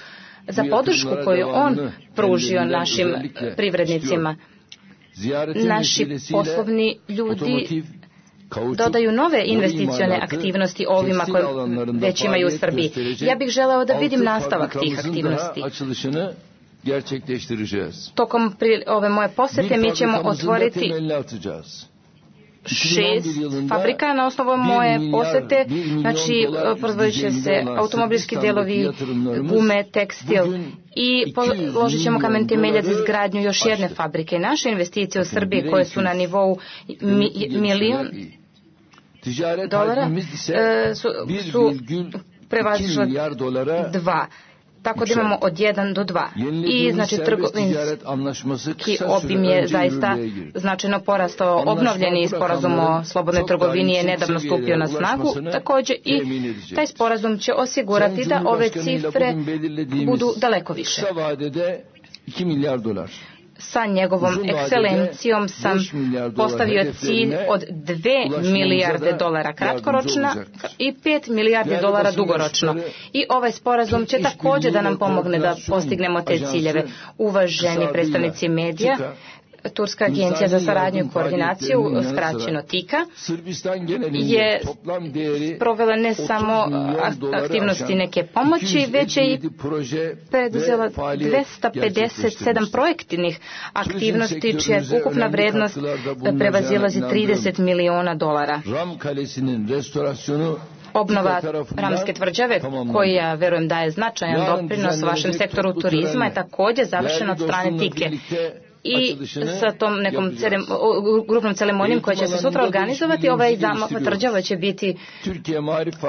za podršku koju on pružio našim privrednicima. Naši poslovni ljudi dodaju nove investicione aktivnosti ovima koje već imaju u Srbiji. Ja bih želeo da vidim nastavak tih aktivnosti. Tokom ove moje posete mi ćemo otvoriti 6 fabrika na osnovu moje posete, znači proizvodit će se automobilski delovi, gume, tekstil i položit ćemo kamen temeljac za izgradnju još jedne fabrike. Naše investicije u Srbiji koje su na nivou $1 milion su prevazišle 2. Tako da imamo od 1 do 2. I znači trgovinski obim je zaista značajno porastao. Obnovljeni sporazum o slobodnoj trgovini je nedavno stupio na snagu. Također i taj sporazum će osigurati da ove cifre budu daleko više. Sa njegovom ekscelencijom sam postavio cilj od $2 milijarde kratkoročna i $5 milijardi dugoročno. I ovaj sporazum će također da nam pomogne da postignemo te ciljeve. Uvaženi predstavnici medija, Turska agencija za saradnju i koordinaciju, skraćeno TIKA, je provela ne samo aktivnosti neke pomoći, već je i preduzela 257 projektnih aktivnosti, čija ukupna vrednost prevazilazi $30 miliona. Obnova Ramske tvrđave, koja verujem daje značajan doprinos vašem sektoru turizma, je također završena od strane TIKE. I sa tom nekom grupnom ceremonijom koja će se sutra organizovati, ovaj zamah tvrđava će biti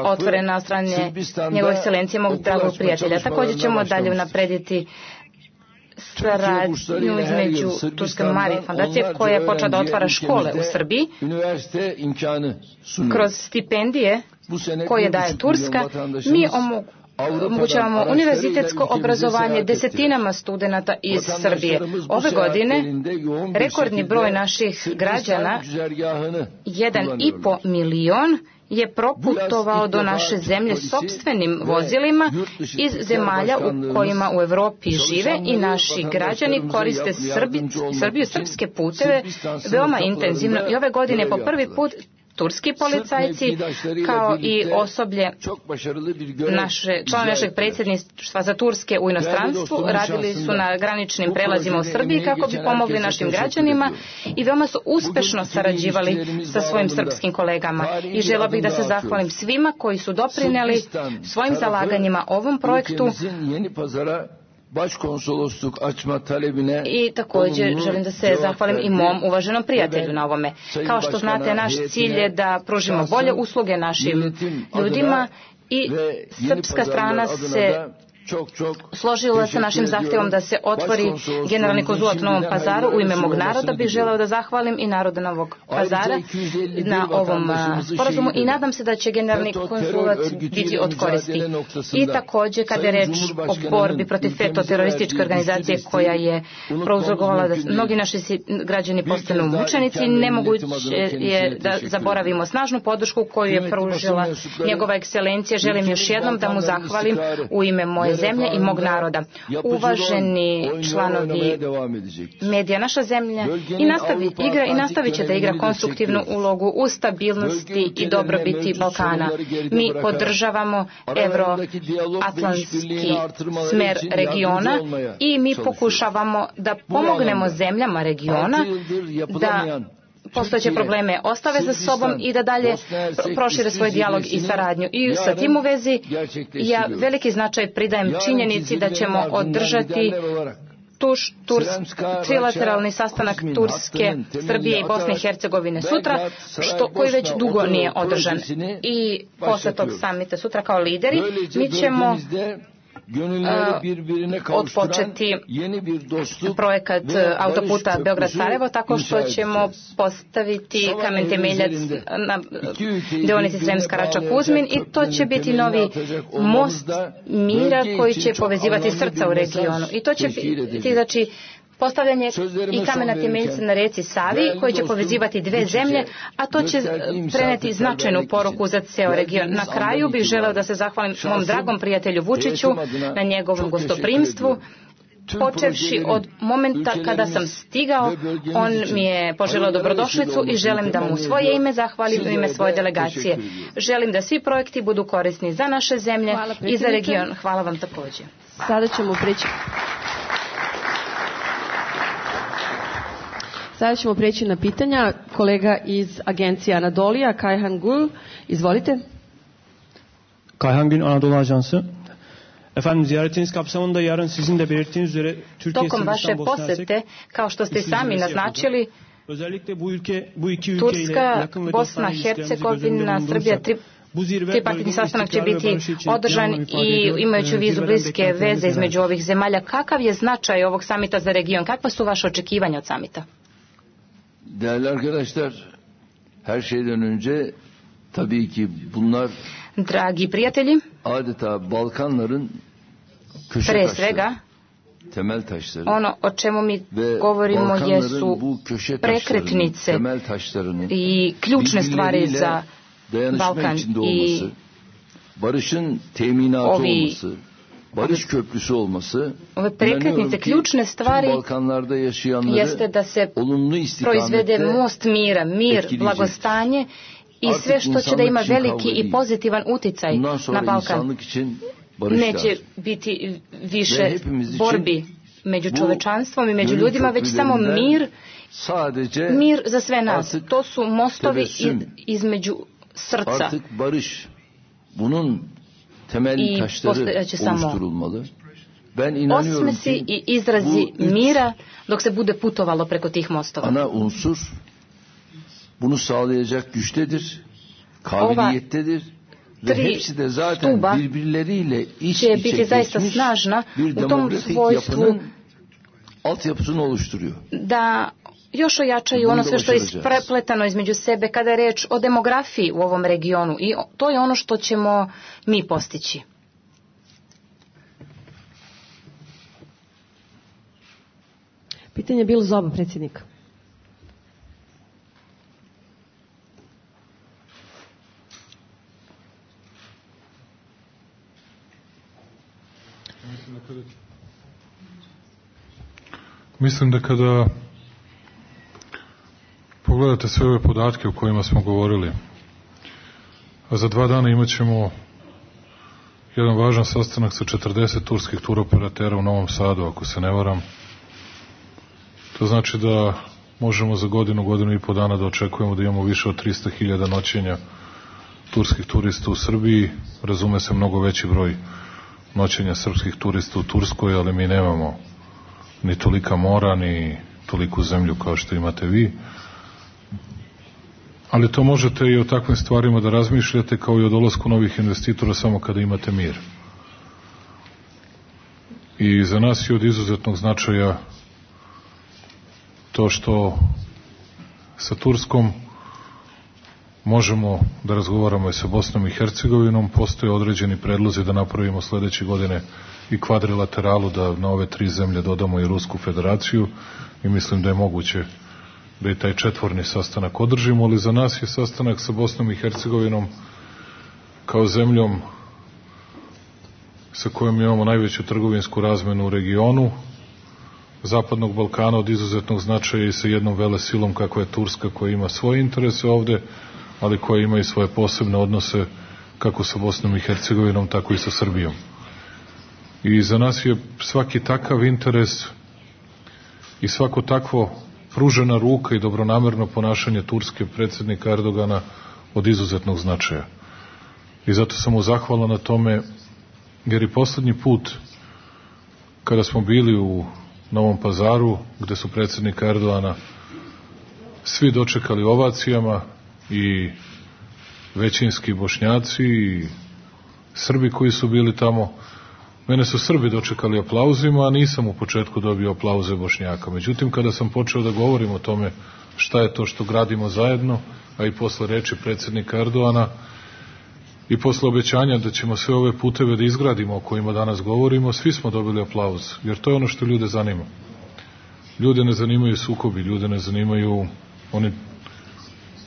otvorena od strane njegove ekscelencije, mog dragog prijatelja. Također ćemo dalje unaprediti saradnju između Turske Marije fondacije koja je počela da otvara škole u Srbiji kroz stipendije koje daje Turska. Mi omogućavamo univerzitetsko obrazovanje desetinama studenata iz Srbije. Ove godine rekordni broj naših građana, 1,5 milion, je proputovao do naše zemlje sopstvenim vozilima iz zemalja u kojima u Evropi žive i naši građani koriste Srbiju, srpske puteve veoma intenzivno. I ove godine po prvi put turski policajci kao i osoblje člana našeg predsjedništva za Turske u inostranstvu radili su na graničnim prelazima u Srbiji kako bi pomogli našim građanima i veoma su uspešno sarađivali sa svojim srpskim kolegama. I želio bih da se zahvalim svima koji su doprineli svojim zalaganjima ovom projektu. I također želim da se zahvalim i mom uvaženom prijatelju na ovome. Kao što znate, naš cilj je da pružimo bolje usluge našim ljudima i srpska strana se složila sa našim zahtjevom da se otvori generalni konzulat u Novom Pazaru. U ime mog naroda bih želeo da zahvalim i naroda Novog Pazara na ovom sporazumu i nadam se da će generalni konzulat biti od koristi. I također kada je reč o borbi protiv FETO terorističke organizacije koja je prouzrokovala da mnogi naši građani postanu mučenici, nemoguće je da zaboravimo snažnu podršku koju je pružila njegova ekscelencija. Želim još jednom da mu zahvalim u ime moje zemlje i mog naroda. Uvaženi članovi medija, naša zemlja igra i nastavit će da igra konstruktivnu ulogu u stabilnosti i dobrobiti Balkana. Mi podržavamo euroatlantski smer regiona i mi pokušavamo da pomognemo zemljama regiona da postojeće probleme ostave za sobom i da dalje prošire svoj dijalog i saradnju. I sa tim u vezi ja veliki značaj pridajem činjenici da ćemo održati trilateralni sastanak Turske, Srbije i Bosne i Hercegovine sutra, koji već dugo nije održan. I posle tog samita sutra kao lideri mi ćemo odpočeti projekat autoputa Beograd-Sarajevo tako što ćemo postaviti kamen temeljac na deonici Sremska Rača-Kuzmin i to će biti novi most mira koji će povezivati srca u regionu. I to će biti, znači, postavljanje i kamena temeljca na reci Savi koji će povezivati dve zemlje, a to će preneti značajnu poruku za ceo region. Na kraju bih želeo da se zahvalim mom dragom prijatelju Vučiću na njegovom gostoprimstvu. Počevši od momenta kada sam stigao, on mi je poželeo dobrodošlicu i želim da mu u svoje ime zahvalim u ime svoje delegacije. Želim da svi projekti budu korisni za naše zemlje i za region. Hvala vam također. Sada ćemo preći na pitanja. Kolega iz agencije Anadolija, Kayhan Gül, izvolite. Kayhan Gül, Anadolu Ajansı. Efendim, ziyaretiniz kapsamında yarın sizin de belirttiğiniz üzere Türkiye, tokom vaše posete, kao što ste sami naznačili, Turska, Bosna, Hercegovina, Srbija, tripartitni sastanak će biti održan i imajući u vidu bliske veze između ovih zemalja. Kakav je značaj ovog samita za region? Kakva su vaše očekivanja od samita? Değerli arkadaşlar, her şeyden önce tabii ki bunlar dragi prijatelji, adeta Balkanların köşe taşları, temel taşları. Ono o čemu mi govorimo jesu prekretnice i ključne stvari za Balkan i barışın teminatı olması, barış köprüsü olması, ove prekretnice, ključne stvari jeste da se proizvede most mira, mir, blagostanje i sve što će da ima veliki i pozitivan uticaj na Balkan. Neće biti više borbi među čovečanstvom i među ljudima, već samo mir za sve nas. To su mostovi između srca. I postojeće samo osmesi i izrazi mira dok se bude putovalo preko tih mostova. Ana unsur bunu sağlayacak güçtedir, kabiliyettedir ve hepsi de zaten birbirleriyle iç içe biti zaista snažna u tom svojstvu altyapısını oluşturuyor. Da još ojačaju ono sve što je isprepletano između sebe kada je reč o demografiji u ovom regionu i to je ono što ćemo mi postići. Pitanje je bilo za oba predsjednika. Mislim da kada pogledate sve ove podatke o kojima smo govorili, a za 2 dana imat ćemo jedan važan sastanak sa 40 turskih turoperatera u Novom Sadu, ako se ne varam. To znači da možemo za godinu i po dana da očekujemo da imamo više od 300.000 noćenja turskih turista u Srbiji. Razume se mnogo veći broj noćenja srpskih turista u Turskoj, ali mi nemamo ni tolika mora, ni toliku zemlju kao što imate vi. Ali to možete i o takvim stvarima da razmišljate kao i o dolasku novih investitora samo kada imate mir. I za nas je od izuzetnog značaja to što sa Turskom možemo da razgovaramo i sa Bosnom i Hercegovinom. Postoje određeni predlozi da napravimo sledeće godine i kvadrilateralu, da na ove 3 zemlje dodamo i Rusku federaciju i mislim da je moguće da i taj 4. sastanak održimo, ali za nas je sastanak sa Bosnom i Hercegovinom kao zemljom sa kojom imamo najveću trgovinsku razmenu u regionu Zapadnog Balkana od izuzetnog značaja i sa jednom velesilom kakva je Turska, koja ima svoje interese ovde, ali koja ima i svoje posebne odnose kako sa Bosnom i Hercegovinom, tako i sa Srbijom. I za nas je svaki takav interes i svako takvo pružena ruka i dobronamerno ponašanje Turske predsednika Erdogana od izuzetnog značaja. I zato sam mu zahvalan na tome, jer i poslednji put kada smo bili u Novom Pazaru, gde su predsednika Erdogana svi dočekali ovacijama, i većinski Bošnjaci i Srbi koji su bili tamo. Mene su Srbi dočekali aplauzima, a nisam u početku dobio aplauze Bošnjaka. Međutim, kada sam počeo da govorim o tome šta je to što gradimo zajedno, a i posle reči predsednika Erdogana i posle obećanja da ćemo sve ove puteve da izgradimo o kojima danas govorimo, svi smo dobili aplauz, jer to je ono što ljude zanima. Ljude ne zanimaju sukobi, ljude ne zanimaju, oni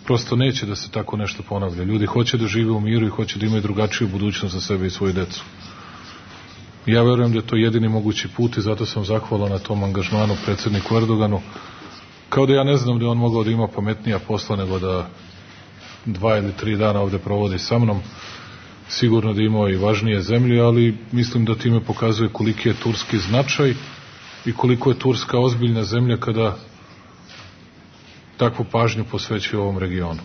prosto neće da se tako nešto ponavlja. Ljudi hoće da žive u miru i hoće da imaju drugačiju budućnost za sebe i svoju decu. Ja verujem da je to jedini mogući put i zato sam zahvalan na tom angažmanu predsedniku Erdoganu. Kao da ja ne znam da je on mogao da ima pametnija posla nego da 2 ili 3 dana ovde provodi sa mnom. Sigurno da imao i važnije zemlje, ali mislim da time pokazuje koliki je turski značaj i koliko je Turska ozbiljna zemlja kada takvu pažnju posvećuje ovom regionu.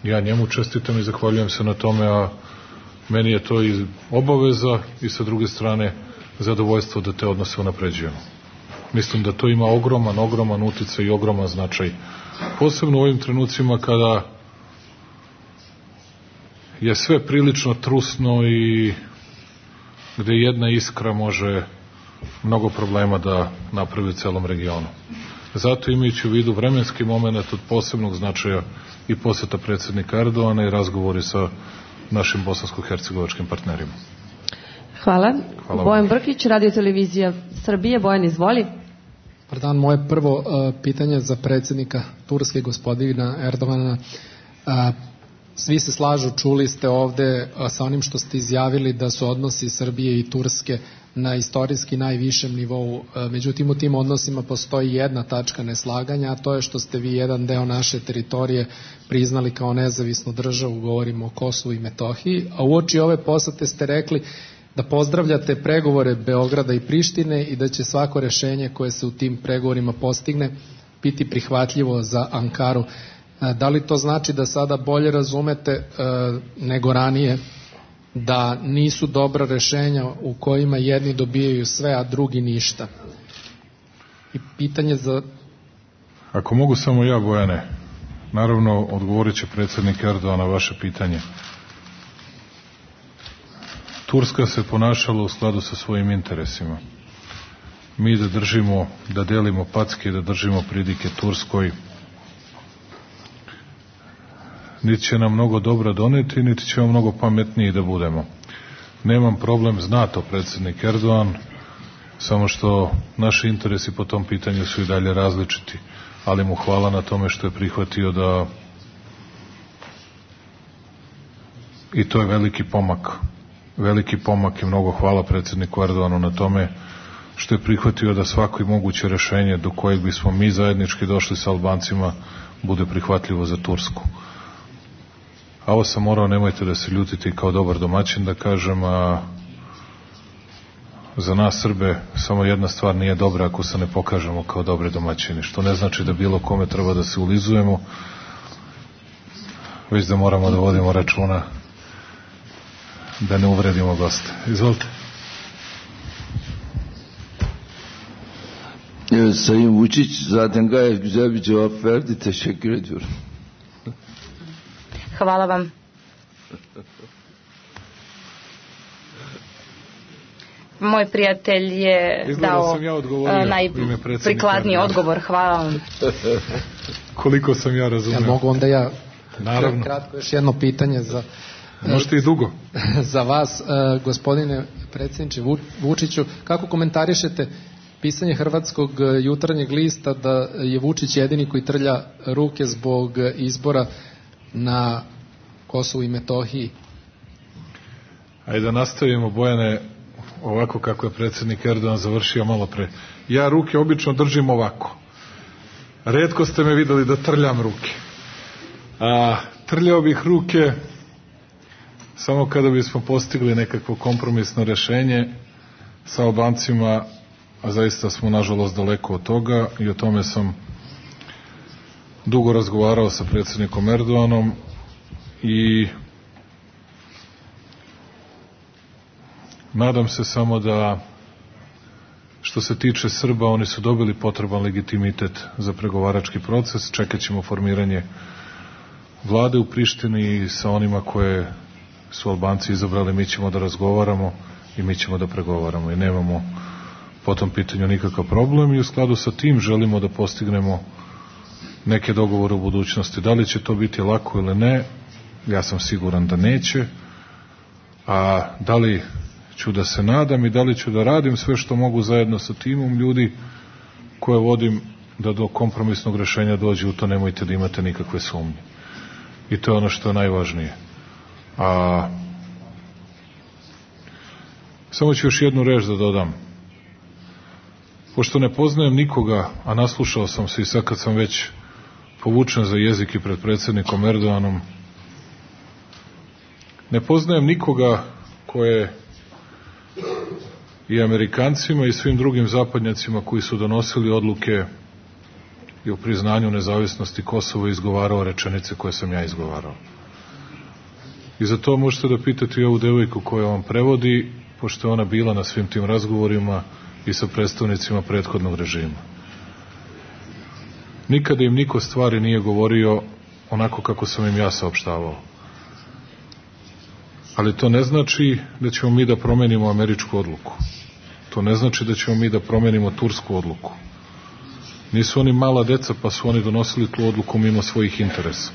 Ja njemu čestitam i zahvaljujem se na tome, a meni je to i obaveza i sa druge strane zadovoljstvo da te odnose unapređujemo. Mislim da to ima ogroman uticaj i ogroman značaj. Posebno u ovim trenucima kada je sve prilično trusno i gde jedna iskra može mnogo problema da napravi u celom regionu. Zato, imajući u vidu vremenski moment od posebnog značaja i poseta predsednika Erdogana i razgovori sa našim bosansko-hercegovačkim partnerima. Hvala. Bojan Brkić, Radio televizija Srbije. Bojan, izvoli. Pardon, moje prvo pitanje za predsednika Turske, gospodina Erdogana. Svi se slažu, čuli ste ovde sa onim što ste izjavili da su odnosi Srbije i Turske na istorijski najvišem nivou. Međutim, u tim odnosima postoji jedna tačka neslaganja, a to je što ste vi jedan deo naše teritorije priznali kao nezavisnu državu, govorimo o Kosovu i Metohiji, a uoči ove posete ste rekli da pozdravljate pregovore Beograda i Prištine i da će svako rešenje koje se u tim pregovorima postigne biti prihvatljivo za Ankaru. Da li to znači da sada bolje razumete nego ranije da nisu dobra rešenja u kojima jedni dobijaju sve, a drugi ništa? I pitanje za... Ako mogu samo ja, Bojane, naravno odgovorit će predsednik Erdogan na vaše pitanje. Turska se ponašala u skladu sa svojim interesima. Mi da držimo, da delimo packe, da držimo pridike Turskoj, niti će nam mnogo dobra doneti, niti ćemo mnogo pametniji da budemo. Nemam problem, zna to predsednik Erdogan, samo što naši interesi po tom pitanju su i dalje različiti, ali mu hvala na tome što je prihvatio da, i to je veliki pomak i mnogo hvala predsedniku Erdoganu na tome što je prihvatio da svako i moguće rešenje do kojeg bismo mi zajednički došli sa Albancima bude prihvatljivo za Tursku. A ovo sam morao, nemojte da se ljutite, kao dobar domaćin da kažem, a za nas Srbe samo jedna stvar nije dobra ako se ne pokažemo kao dobre domaćini, što ne znači da bilo kome treba da se ulizujemo, već da moramo da vodimo računa da ne uvredimo goste. Izvolite. Evet, Sayın Vučić zaten gayet güzel bir cevap verdi. Teşekkür ediyorum. Hvala vam. Moj prijatelj je dao najprikladniji odgovor. Hvala vam. Koliko sam ja razumio. Ja mogu onda ja naravno. Kratko još jedno pitanje za... Možete i dugo. Za vas, gospodine predsjedniče Vučiću, kako komentarišete pisanje Hrvatskog jutarnjeg lista da je Vučić jedini koji trlja ruke zbog izbora na Kosovu i Metohiji? Ajde da nastavimo, Bojane, ovako kako je predsjednik Erdogan završio malo pre. Ja ruke obično držim ovako. Retko ste me videli da trljam ruke. Trljao bih ruke samo kada bismo postigli nekakvo kompromisno rešenje sa Albancima, a zaista smo nažalost daleko od toga i o tome sam dugo razgovarao sa predsjednikom Erdoganom i nadam se samo da što se tiče Srba, oni su dobili potreban legitimitet za pregovarački proces, čekat ćemo formiranje vlade u Prištini i sa onima koje su Albanci izabrali, mi ćemo da razgovaramo i mi ćemo da pregovaramo i nemamo po tom pitanju nikakav problem i u skladu sa tim želimo da postignemo neke dogovore u budućnosti. Da li će to biti lako ili ne, ja sam siguran da neće, a da li ću da se nadam i da li ću da radim sve što mogu zajedno sa timom ljudi koje vodim da do kompromisnog rešenja dođe, u to nemojte da imate nikakve sumnje. I to je ono što je najvažnije. A samo ću još jednu reč da dodam. Pošto ne poznajem nikoga, a naslušao sam se i sad kad sam već povučen za jezik i pred predsjednikom Erdoganom, ne poznajem nikoga koje i Amerikancima i svim drugim zapadnjacima koji su donosili odluke i o priznanju nezavisnosti Kosova izgovarao rečenice koje sam ja izgovarao. I za to možete da pitate i ovu devojku koja vam prevodi, pošto je ona bila na svim tim razgovorima i sa predstavnicima prethodnog režima. Nikada im niko stvari nije govorio onako kako sam im ja saopštavao. Ali to ne znači da ćemo mi da promenimo američku odluku. To ne znači da ćemo mi da promenimo tursku odluku. Nisu oni mala deca pa su oni donosili tu odluku mimo svojih interesa.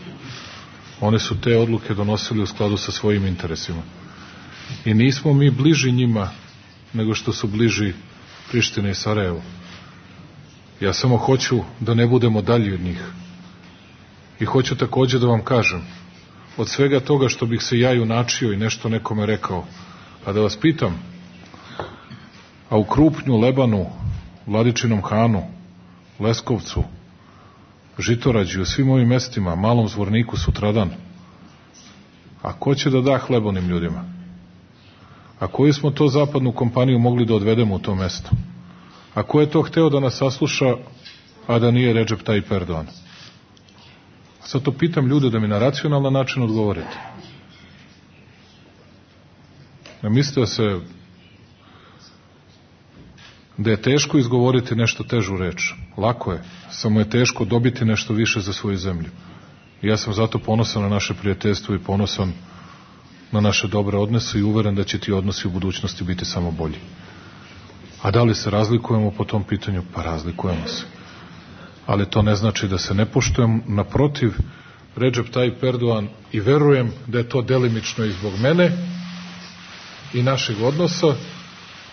Oni su te odluke donosili u skladu sa svojim interesima. I nismo mi bliži njima nego što su bliži Prištine i Sarajevo. Ja samo hoću da ne budemo dalji od njih. I hoću takođe da vam kažem, od svega toga što bih se ja junačio i nešto nekome rekao, a da vas pitam, a u Krupnju, Lebanu, Vladičinom Hanu, Leskovcu, Žitorađi, u svim ovim mestima, Malom Zvorniku, sutradan, a ko će da da hleb onim ljudima? A koju smo to zapadnu kompaniju mogli da odvedemo u to mesto? A ko je to hteo da nas sasluša, a da nije Recep Tayyip Erdogan? Sad to pitam ljude da mi na racionalan način odgovorite. Ne mislite da je teško izgovoriti nešto težu reč. Lako je, samo je teško dobiti nešto više za svoju zemlju. I ja sam zato ponosan na naše prijateljstvo i ponosan na naše dobre odnose i uveren da će ti odnosi u budućnosti biti samo bolji. A da li se razlikujemo po tom pitanju? Pa razlikujemo se. Ali to ne znači da se ne poštujemo. Naprotiv, Recep Tayyip Erdogan, i verujem da je to delimično i zbog mene i našeg odnosa,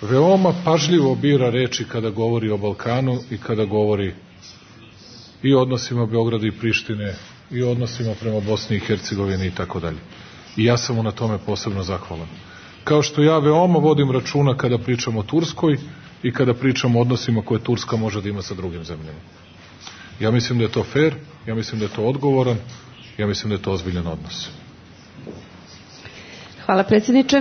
veoma pažljivo bira reči kada govori o Balkanu i kada govori i o odnosima Beograda i Prištine i o odnosima prema Bosni i Hercegovini i tako dalje. I ja sam mu na tome posebno zahvalan. Kao što ja veoma vodim računa kada pričam o Turskoj i kada pričam o odnosima koje Turska može da ima sa drugim zemljama. Ja mislim da je to fair, ja mislim da je to odgovoran, ja mislim da je to ozbiljan odnos. Hvala predsjedniče.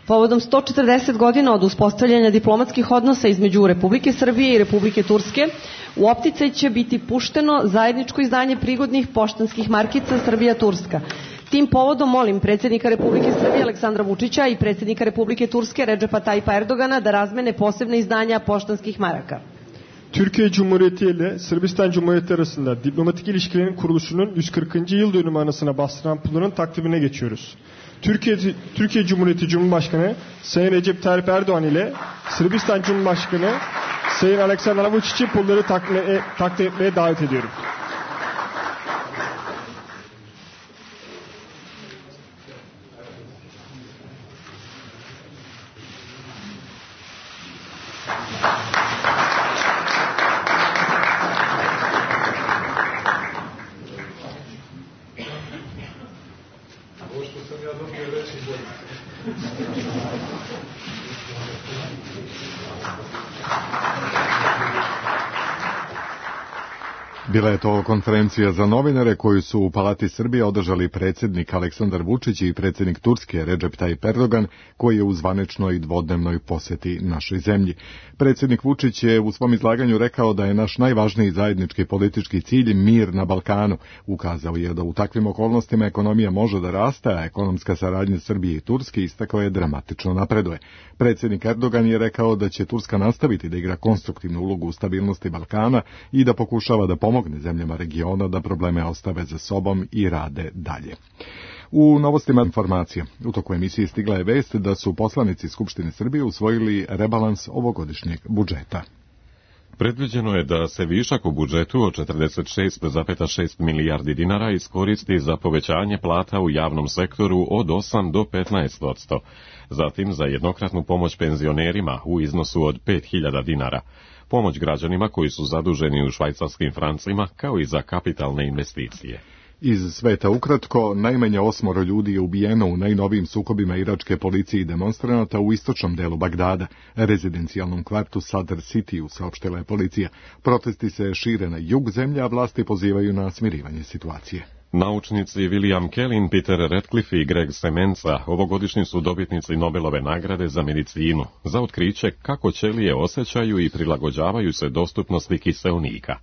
Povodom 140 godina od uspostavljanja diplomatskih odnosa između Republike Srbije i Republike Turske, u opticaj će biti pušteno zajedničko izdanje prigodnih poštanskih markica Srbija-Turska. Tim povodom molim predsjednika Republike Srbije Aleksandra Vučića i predsjednika Republike Turske Recepa Tayyipa Erdogana da razmene posebne izdanja poštanskih maraka. Türkiye Cumhuriyeti ile Sırbistan Cumhuriyeti arasında diplomatik ilişkilerin kuruluşunun 140. yıl dönümü anısına bastıran pulların takvimine geçiyoruz. Türkiye Cumhuriyeti Cumhurbaşkanı Sayın Recep Tayyip Erdoğan ile Sırbistan Cumhurbaşkanı Sayın Aleksandar Vučić'i pulları takdim etmeye davet ediyorum. Bila je to konferencija za novinare koju su u Palati Srbije održali predsjednik Aleksandar Vučić i predsjednik Turske Recep Tayyip Erdogan, koji je u zvaničnoj dvodnevnoj posjeti našoj zemlji. Predsjednik Vučić je u svom izlaganju rekao da je naš najvažniji zajednički politički cilj mir na Balkanu. Ukazao je da u takvim okolnostima ekonomija može da raste, a ekonomska saradnja Srbije i Turske, istakao je, dramatično napreduje. Predsjednik Erdogan je rekao da će Turska nastaviti da igra konstruktivnu ulogu u stabilnosti Balkana i da pokušava da pomogne zemljama regiona da probleme ostave za sobom i rade dalje. U novostima informacija. U toku emisije stigla je vest da su poslanici Skupštine Srbije usvojili rebalans ovogodišnjeg budžeta. Predviđeno je da se višak u budžetu od 46,6 milijardi dinara iskoristi za povećanje plata u javnom sektoru od 8 do 15%, zatim za jednokratnu pomoć penzionerima u iznosu od 5.000 dinara, pomoć građanima koji su zaduženi u švajcarskim francima, kao i za kapitalne investicije. Iz sveta ukratko, najmanje 8 ljudi je ubijeno u najnovijim sukobima iračke policije i demonstranata u istočnom delu Bagdada, rezidencijalnom kvartu Sadr City, saopštila je policija. Protesti se šire na jug zemlje, a vlasti pozivaju na smirivanje situacije. Naučnici William Kellin, Peter Ratcliffe i Greg Semenza ovogodišnji su dobitnici Nobelove nagrade za medicinu za otkriće kako ćelije osjećaju i prilagođavaju se dostupnosti kiseonika.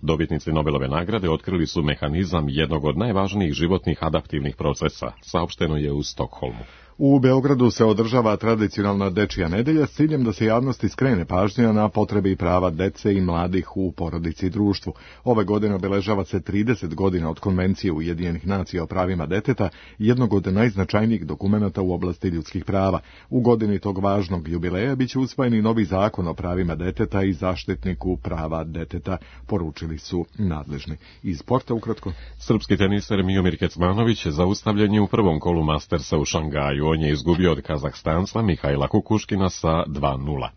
Dobitnici Nobelove nagrade otkrili su mehanizam jednog od najvažnijih životnih adaptivnih procesa, saopšteno je u Stokholmu. U Beogradu se održava tradicionalna dečija nedelja s ciljem da se javnosti skrene pažnja na potrebe i prava dece i mladih u porodici i društvu. Ove godine obeležava se 30 godina od Konvencije Ujedinjenih nacija o pravima deteta, jednog od najznačajnijih dokumenata u oblasti ljudskih prava. U godini tog važnog jubileja biće usvojen i novi zakon o pravima deteta i zaštitniku prava deteta, poručili su nadležni. Iz sporta ukratko. Srpski teniser Miomir Kecmanović zaustavljen je u prvom kolu Mastersa u Šangaju. On je izgubio od Kazahstanca Mihajla Kukuškina sa 2:0.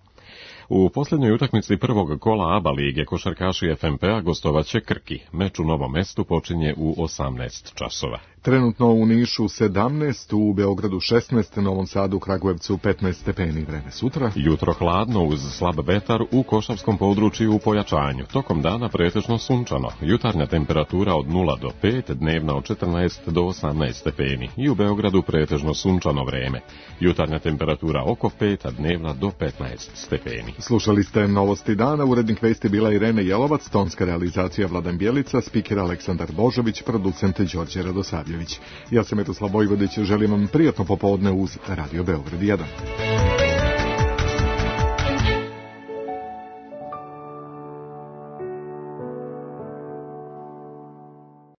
U posljednjoj utakmici prvog kola ABA lige košarkaši FNP-a gostovaće Krki. Meč u Novom Mestu počinje u 18 časova. Trenutno u Nišu 17, u Beogradu 16, Novom Sadu, Kragujevcu 15 stepeni. Vreme sutra. Jutro hladno uz slab vetar u košavskom području u pojačanju. Tokom dana pretežno sunčano. Jutarnja temperatura od 0 do 5, dnevna od 14 do 18 stepeni. I u Beogradu pretežno sunčano vreme. Jutarnja temperatura oko 5, a dnevna do 15 stepeni. Slušali ste novosti dana, urednik vesti bila Irena Jelovac, tonska realizacija Vladan Bjelica, spiker Aleksandar Božović, producent Đorđe Radosavljević. Ja sam Metoslav Vojvodić, želim vam prijatno popodne uz Radio Beograd 1.